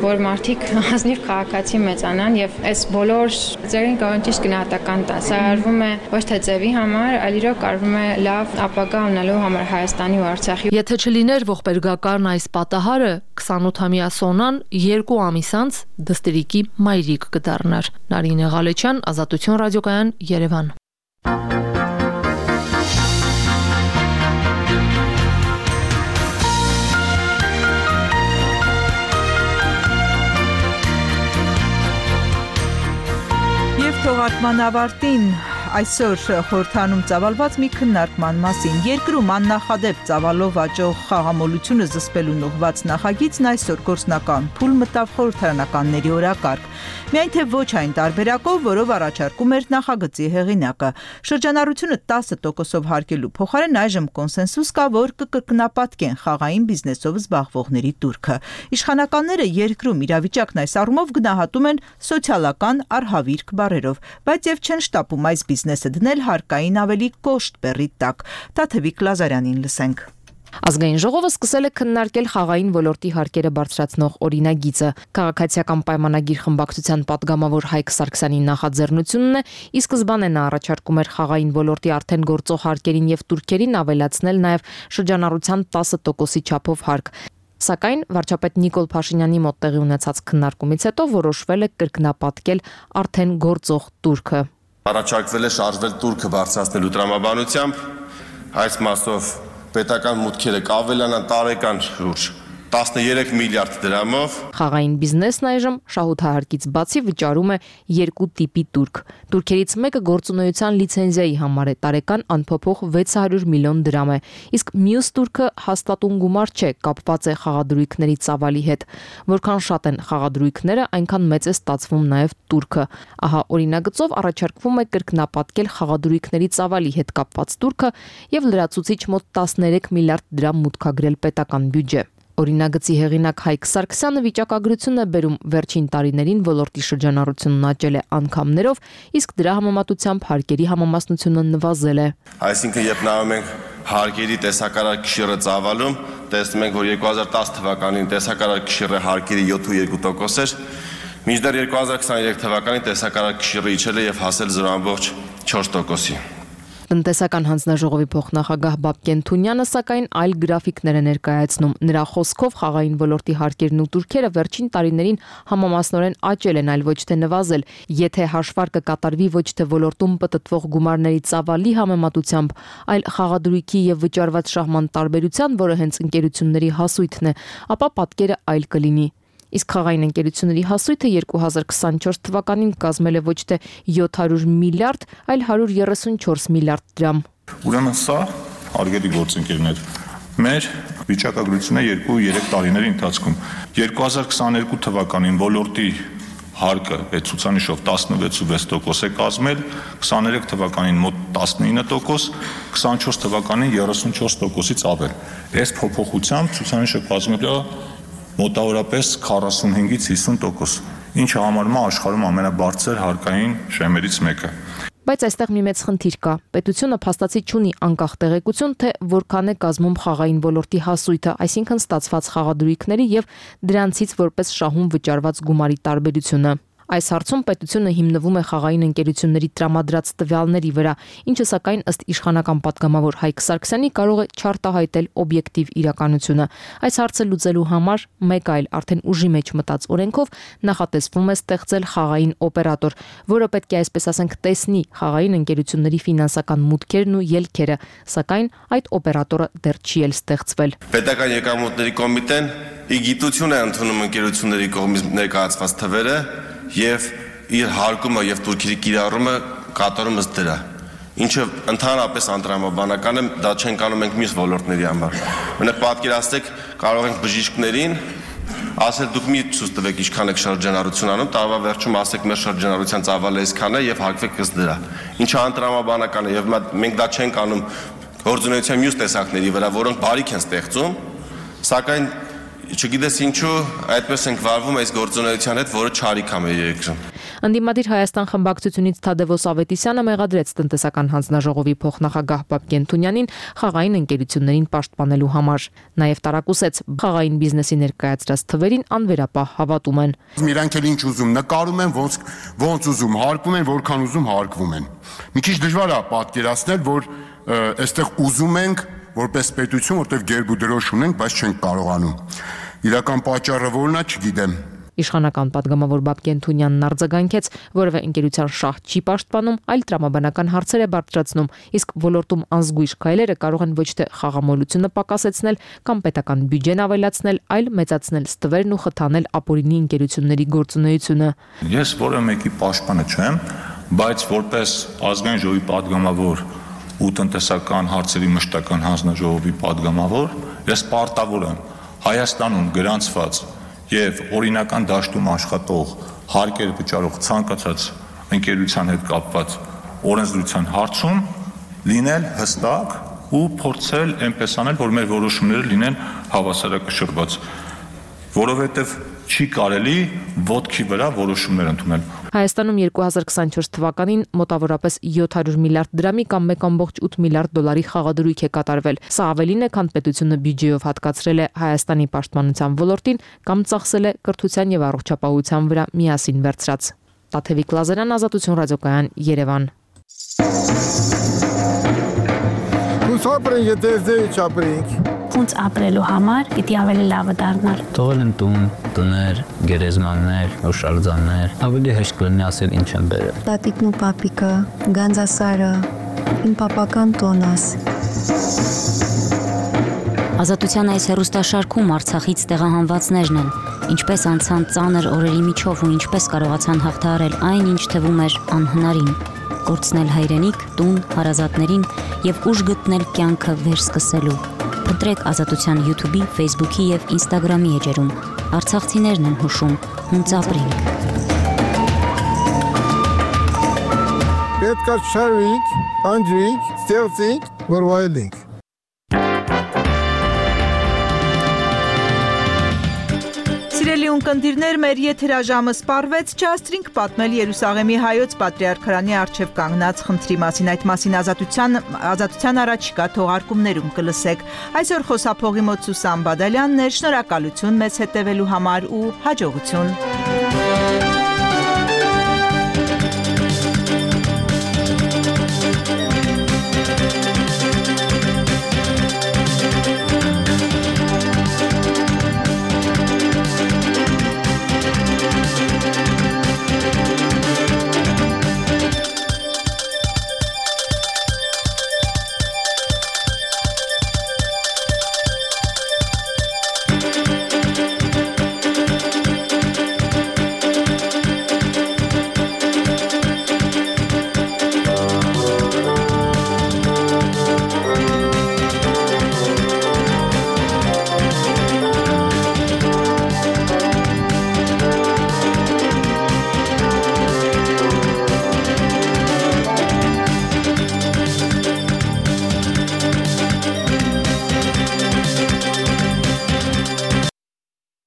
որ մարդիկ ազնիվ քաղաքացի մեծանան եւ այս բոլոր ծերին կարող ճիշտ գնահատական տա։ Սա արվում է ոչ թե ձևի համար, այլ իրոք արվում է լավ ապագա ունելու համար Հայաստանի ու Արցախի։ Եթե չլիներ ողբերգական այս պատահարը, քսանութամյա Սոնան երկու ամիս անց դստերիկի մայրիկ կդառնար։ Նարինե Ղալեչյան, Ազատություն ռադիոկայան, Երևան։ Եվ թողարկման ավարտին այսօր խորհրդանում ծավալված մի քննարկման մասին երկրում աննախադեպ ծավալով աճող խաղամոլությունը զսպելուն ուղղված նախագիծն այսօր գործնական փուլ մտավ խորհրդարանականների օրակարգ։ Միայն թե ոչ այն տարբերակով, որով առաջարկում էր նախագծի հեղինակը։ Շրջանառությունը տասը տոկոսով հարկելու փոխարեն այժմ կոնսենսուս կա, որ կկրկնապատկեն խաղային բիզնեսով զբաղվողների տուրքը։ Իշխանականները երկրում իրավիճակն այս առումով գնահատում են սոցիալական արհավիրք բառերով, բայց եւ չեն շտապում այս բիզնեսը դնել հարկային ավելի կոշտ բեռի տակ։ Տաթևիկ Լազարյանին լսենք։ Ազգային ժողովը սկսել է քննարկել խաղային ոլորտի հարկերը բարձրացնող օրինագիծը։ Քաղաքացիական պայմանագիր խմբակցության падգամավոր Հայկ Սարգսյանի նախաձեռնությունն է, ի սկզբանե նա առաջարկում էր խաղային ոլորտի արդեն գործող հարկերին եւ տուրքերին ավելացնել նաեւ շրջանառության տասը տոկոսի չափով հարկ։ Սակայն վարչապետ Նիկոլ Փաշինյանի մոտ տեղի ունեցած քննարկումից հետո որոշվել է կրկնապատկել արդեն գործող տուրքը։ Առաջարկվել է շարժվել տուրքը բարձրացնելու տրամաբանությամբ, այս մասով պետական մուտքերը կավելանան տարեկան շուրջ տասներեք միլիարդ դրամով։ Խաղային բիզնեսն այժմ շահութահարկից բացի վճարում է երկու տիպի տուրք։ Տուրքերից մեկը գործունեության լիցենզիայի համար է, տարեկան անփոփոխ վեց հարյուր միլիոն դրամ է, իսկ մյուս տուրքը հաստատուն գումար չէ, կապված է խաղադրույքների ծավալի հետ։ Որքան շատ են խաղադրույքները, այնքան մեծ է ստացվում նաև տուրքը։ Ահա օրինագծով առաջարկվում է կրկնապատկել խաղադրույքների ծավալի հետ կապված տուրքը եւ լրացուցիչ մոտ տասներեք միլիարդ դրամ մուտքագրել պետական բյուջե։ Օրինագծի հեղինակ Հայկ Սարգսյանը վիճակագրություն է բերում վերջին տարիներին ոլորտի շրջանառությունն աճել է անգամներով, իսկ դրա համեմատությամբ հարկերի համամասնությունը նվազել է։ Այսինքն, երբ նայում ենք հարկերի տեսակարար կշիռը ծավալում, տեսնում ենք, որ երկու հազար տասը թվականին տեսակարար կշիռը հարկերի յոթ երկու տոկոս էր, մինչդեռ երկու հազար քսաներեք թվականին տեսակարար կշիռը իջել է եւ հասել զրո դաշնամուրդ չորս տոկոսի։ Տնտեսական հանձնաժողովի փոխնախագահ Բաբկեն Թունյանը սակայն այլ գրաֆիկներ է ներկայացնում։ Նրա խոսքով խաղային ոլորտի հարկերն ու տուրքերը վերջին տարիներին համամասնորեն աճել են, այլ ոչ թե նվազել։ Եթե հաշվարկը կատարվի ոչ թե ոլորտում պտտվող գումարների ծավալի համեմատությամբ, այլ խաղադրույքի եւ վճարված շահման տարբերության, որը հենց ընկերությունների հասույթն է, ապա պատկերը այլ կլինի։ Իսկ խաղային ընկերությունների հասույթը երկու հազար քսանչորս թվականին կազմել է ոչ թե յոթ հարյուր միլիարդ, այլ հարյուր երեսունչորս միլիարդ դրամ։ Ուրեմն սա, հարգելի գործընկերներ, մեր վիճակագրությունը երկու երեք տարիների ընթացքում երկու հազար քսաներկու թվականին ոլորտի հարկը այդ ցուցանիշով տասնվեց ու վեց տոկոս է կազմել, քսաներեք թվականին մոտ տասնինը տոկոս, քսանչորս թվականին երեսունչորս տոկոսից ավել։ Այս փոփոխությամբ ցուցանիշը կազմել է մոտավորապես քառասունհինգից հիսուն տոկոս, ինչը համարվում է աշխարհում ամենաբարձր հարկային շեմերից մեկը։ Բայց այստեղ մի մեծ խնդիր կա։ Պետությունը փաստացի չունի անկախ տեղեկություն, թե որքան է կազմում խաղային ոլորտի հասույթը, այսինքն ստացված խաղադրույքների եւ դրանցից որպես շահում վճարված գումարի տարբերությունը։ Այս հարցում պետությունը հիմնվում է խաղային ընկերությունների տրամադրած տվյալների վրա, ինչը սակայն ըստ իշխանական պատգամավոր Հայկ Սարգսյանի կարող է չարտահայտել օբյեկտիվ իրականությունը։ Այս հարցը լուծելու համար մեկ այլ արդեն ուժի մեջ մտած օրենքով նախատեսվում է ստեղծել խաղային օպերատոր, որը պետք է այսպես ասենք տեսնի խաղային ընկերությունների ֆինանսական մուտքերն ու ելքերը, սակայն այդ օպերատորը դեռ չի էլ ստեղծվել։ Պետական եկամուտների կոմիտեն ի գիտություն է ընդունում ընկերությունների կողմից ներկայացված թվերը եւ իր հարկումը եւ տուրքերի կիրառումը կատարում ըստ դրա, ինչը ընդհանրապես անտրամաբանական է, դա չենք անում ենք մյուս ոլորտների համար։ Մենակ պատկերացրեք, կարող ենք բժիշկներին ասել դուք մի ցույց տվեք ինչքան եք շրջանառություն անում, տարվա վերջում ասեք մեր շրջանառության ծավալը այսքան է եւ հարկվեք ըստ դրա, ինչը անտրամաբանական է եւ մենք դա չենք անում գործունեության մյուս տեսակների վրա, որոնք բարիք են ստեղծում, սակայն չգիտես ինչու այդպես ենք վարվում այս գործունեության հետ, որը չարիք է մեր երկրում։ Ընդդիմադիր Հայաստան խմբակցությունից Թադևոս Ավետիսյանը մեղադրեց տնտեսական հանձնաժողովի փոխնախագահ Բաբկեն Թունյանին խաղային ընկերություններին պաշտպանելու համար։ Նաև տարակուսեց խաղային բիզնեսի ներկայացրած թվերին անվերապահ հավատում են։ Իրանք էլ ինչ ուզում նկարում են, ոնց ոնց ուզում հարկվում են, որքան ուզում հարկվում են։ Մի քիչ դժվար է պատկերացնել, որ այստեղ ուզում ենք որպես պետություն, որտեղ գերբ ու դրոշ ունենք, բայց չենք կարողանում։ Իրական պատճառը որն է, չգիտեմ։ Իշխանական պատգամավոր Բաբկեն Թունյանն արձագանքեց, որևէ ընկերության շահ չի պաշտպանում, այլ տրամաբանական հարցեր է բարձրացնում, իսկ ոլորտում անզգույշ քայլերը կարող են ոչ թե խաղամոլությունը պակասեցնել կամ պետական բյուջեն ավելացնել, այլ մեծացնել ստվերն ու խթանել ապօրինի ընկերությունների գործունեությունը։ Ես որևէ մեկի պաշտպանը չեմ, բայց որպես ազգային ժողովի պատգամավոր ու տնտեսական հարցերի մշտական հանձնաժողովի պատգամավոր ես պարտավոր եմ Հայաստանում գրանցված եւ օրինական դաշտում աշխատող հարկեր վճարող ցանկացած ընկերության հետ կապված օրենսդրության հարցում լինել հստակ ու փորձել այնպես անել, որ մեր որոշումները լինեն հավասարակշռված, որովհետեւ չի կարելի ոտքի վրա որոշումներ ընդունել։ Հայաստանում երկու հազար քսանչորս թվականին մոտավորապես յոթ հարյուր միլիարդ դրամի կամ մեկ կόμկոմ ութ միլիարդ դոլարի խաղադրույք է կատարվել։ Սա ավելին է, քան պետությունը բյուջեով հատկացրել է Հայաստանի պաշտպանության ոլորտին կամ ծախսել է կրթության եւ առողջապահության վրա միասին վերցրած։ Տաթևիկ Լազարյան, Ազատություն ռադիոկայան, Երևան։ Ուսապրեն եթե չապրենք։ Ոնց ապրելու համար պիտի ավելի լավը դառնալ։ Թողել են տուն, տներ, գերեզմաններ, հուշարձաններ, ավելի հեշտ կլինի ասել ինչ են բերել։ Տատիկն ու պապիկը, Գանձասարը, իմ պապական տոնս։ Ազատության այս հեռուստաշարքում Արցախից տեղահանվածներն են, ինչպես անցան ծանր օրերի միջով ու ինչպես կարողացան հաղթահարել այն, ինչ թվում էր անհնարին, կորցնել հայրենիք, տուն, հարազատներին եւ ուժ գտնել կյանքը վերսկսելու։ Ընտրեք Ազատության YouTube-ի, Facebook-ի եւ Instagram-ի էջերում։ Արցախցիներն են հուշում, հունց ապրենք։ Պետք է շարվենք, անջրենք, ստեղծենք, որ վայելենք։ Սիրելի ունկնդիրներ, մեր եթերաժամը սպառվեց, չհասցրինք պատմել Երուսաղեմի հայոց պատրիարքարանի առջև կանգնած խնդրի մասին, այդ մասին ազատության, ազատության առաջիկա թողարկումներում կլսեք։ Այսօր խոսափողի մոտ Սուսան Բադալյանն էր, շնորհակալություն մեզ հետևելու համար ու հաջողություն։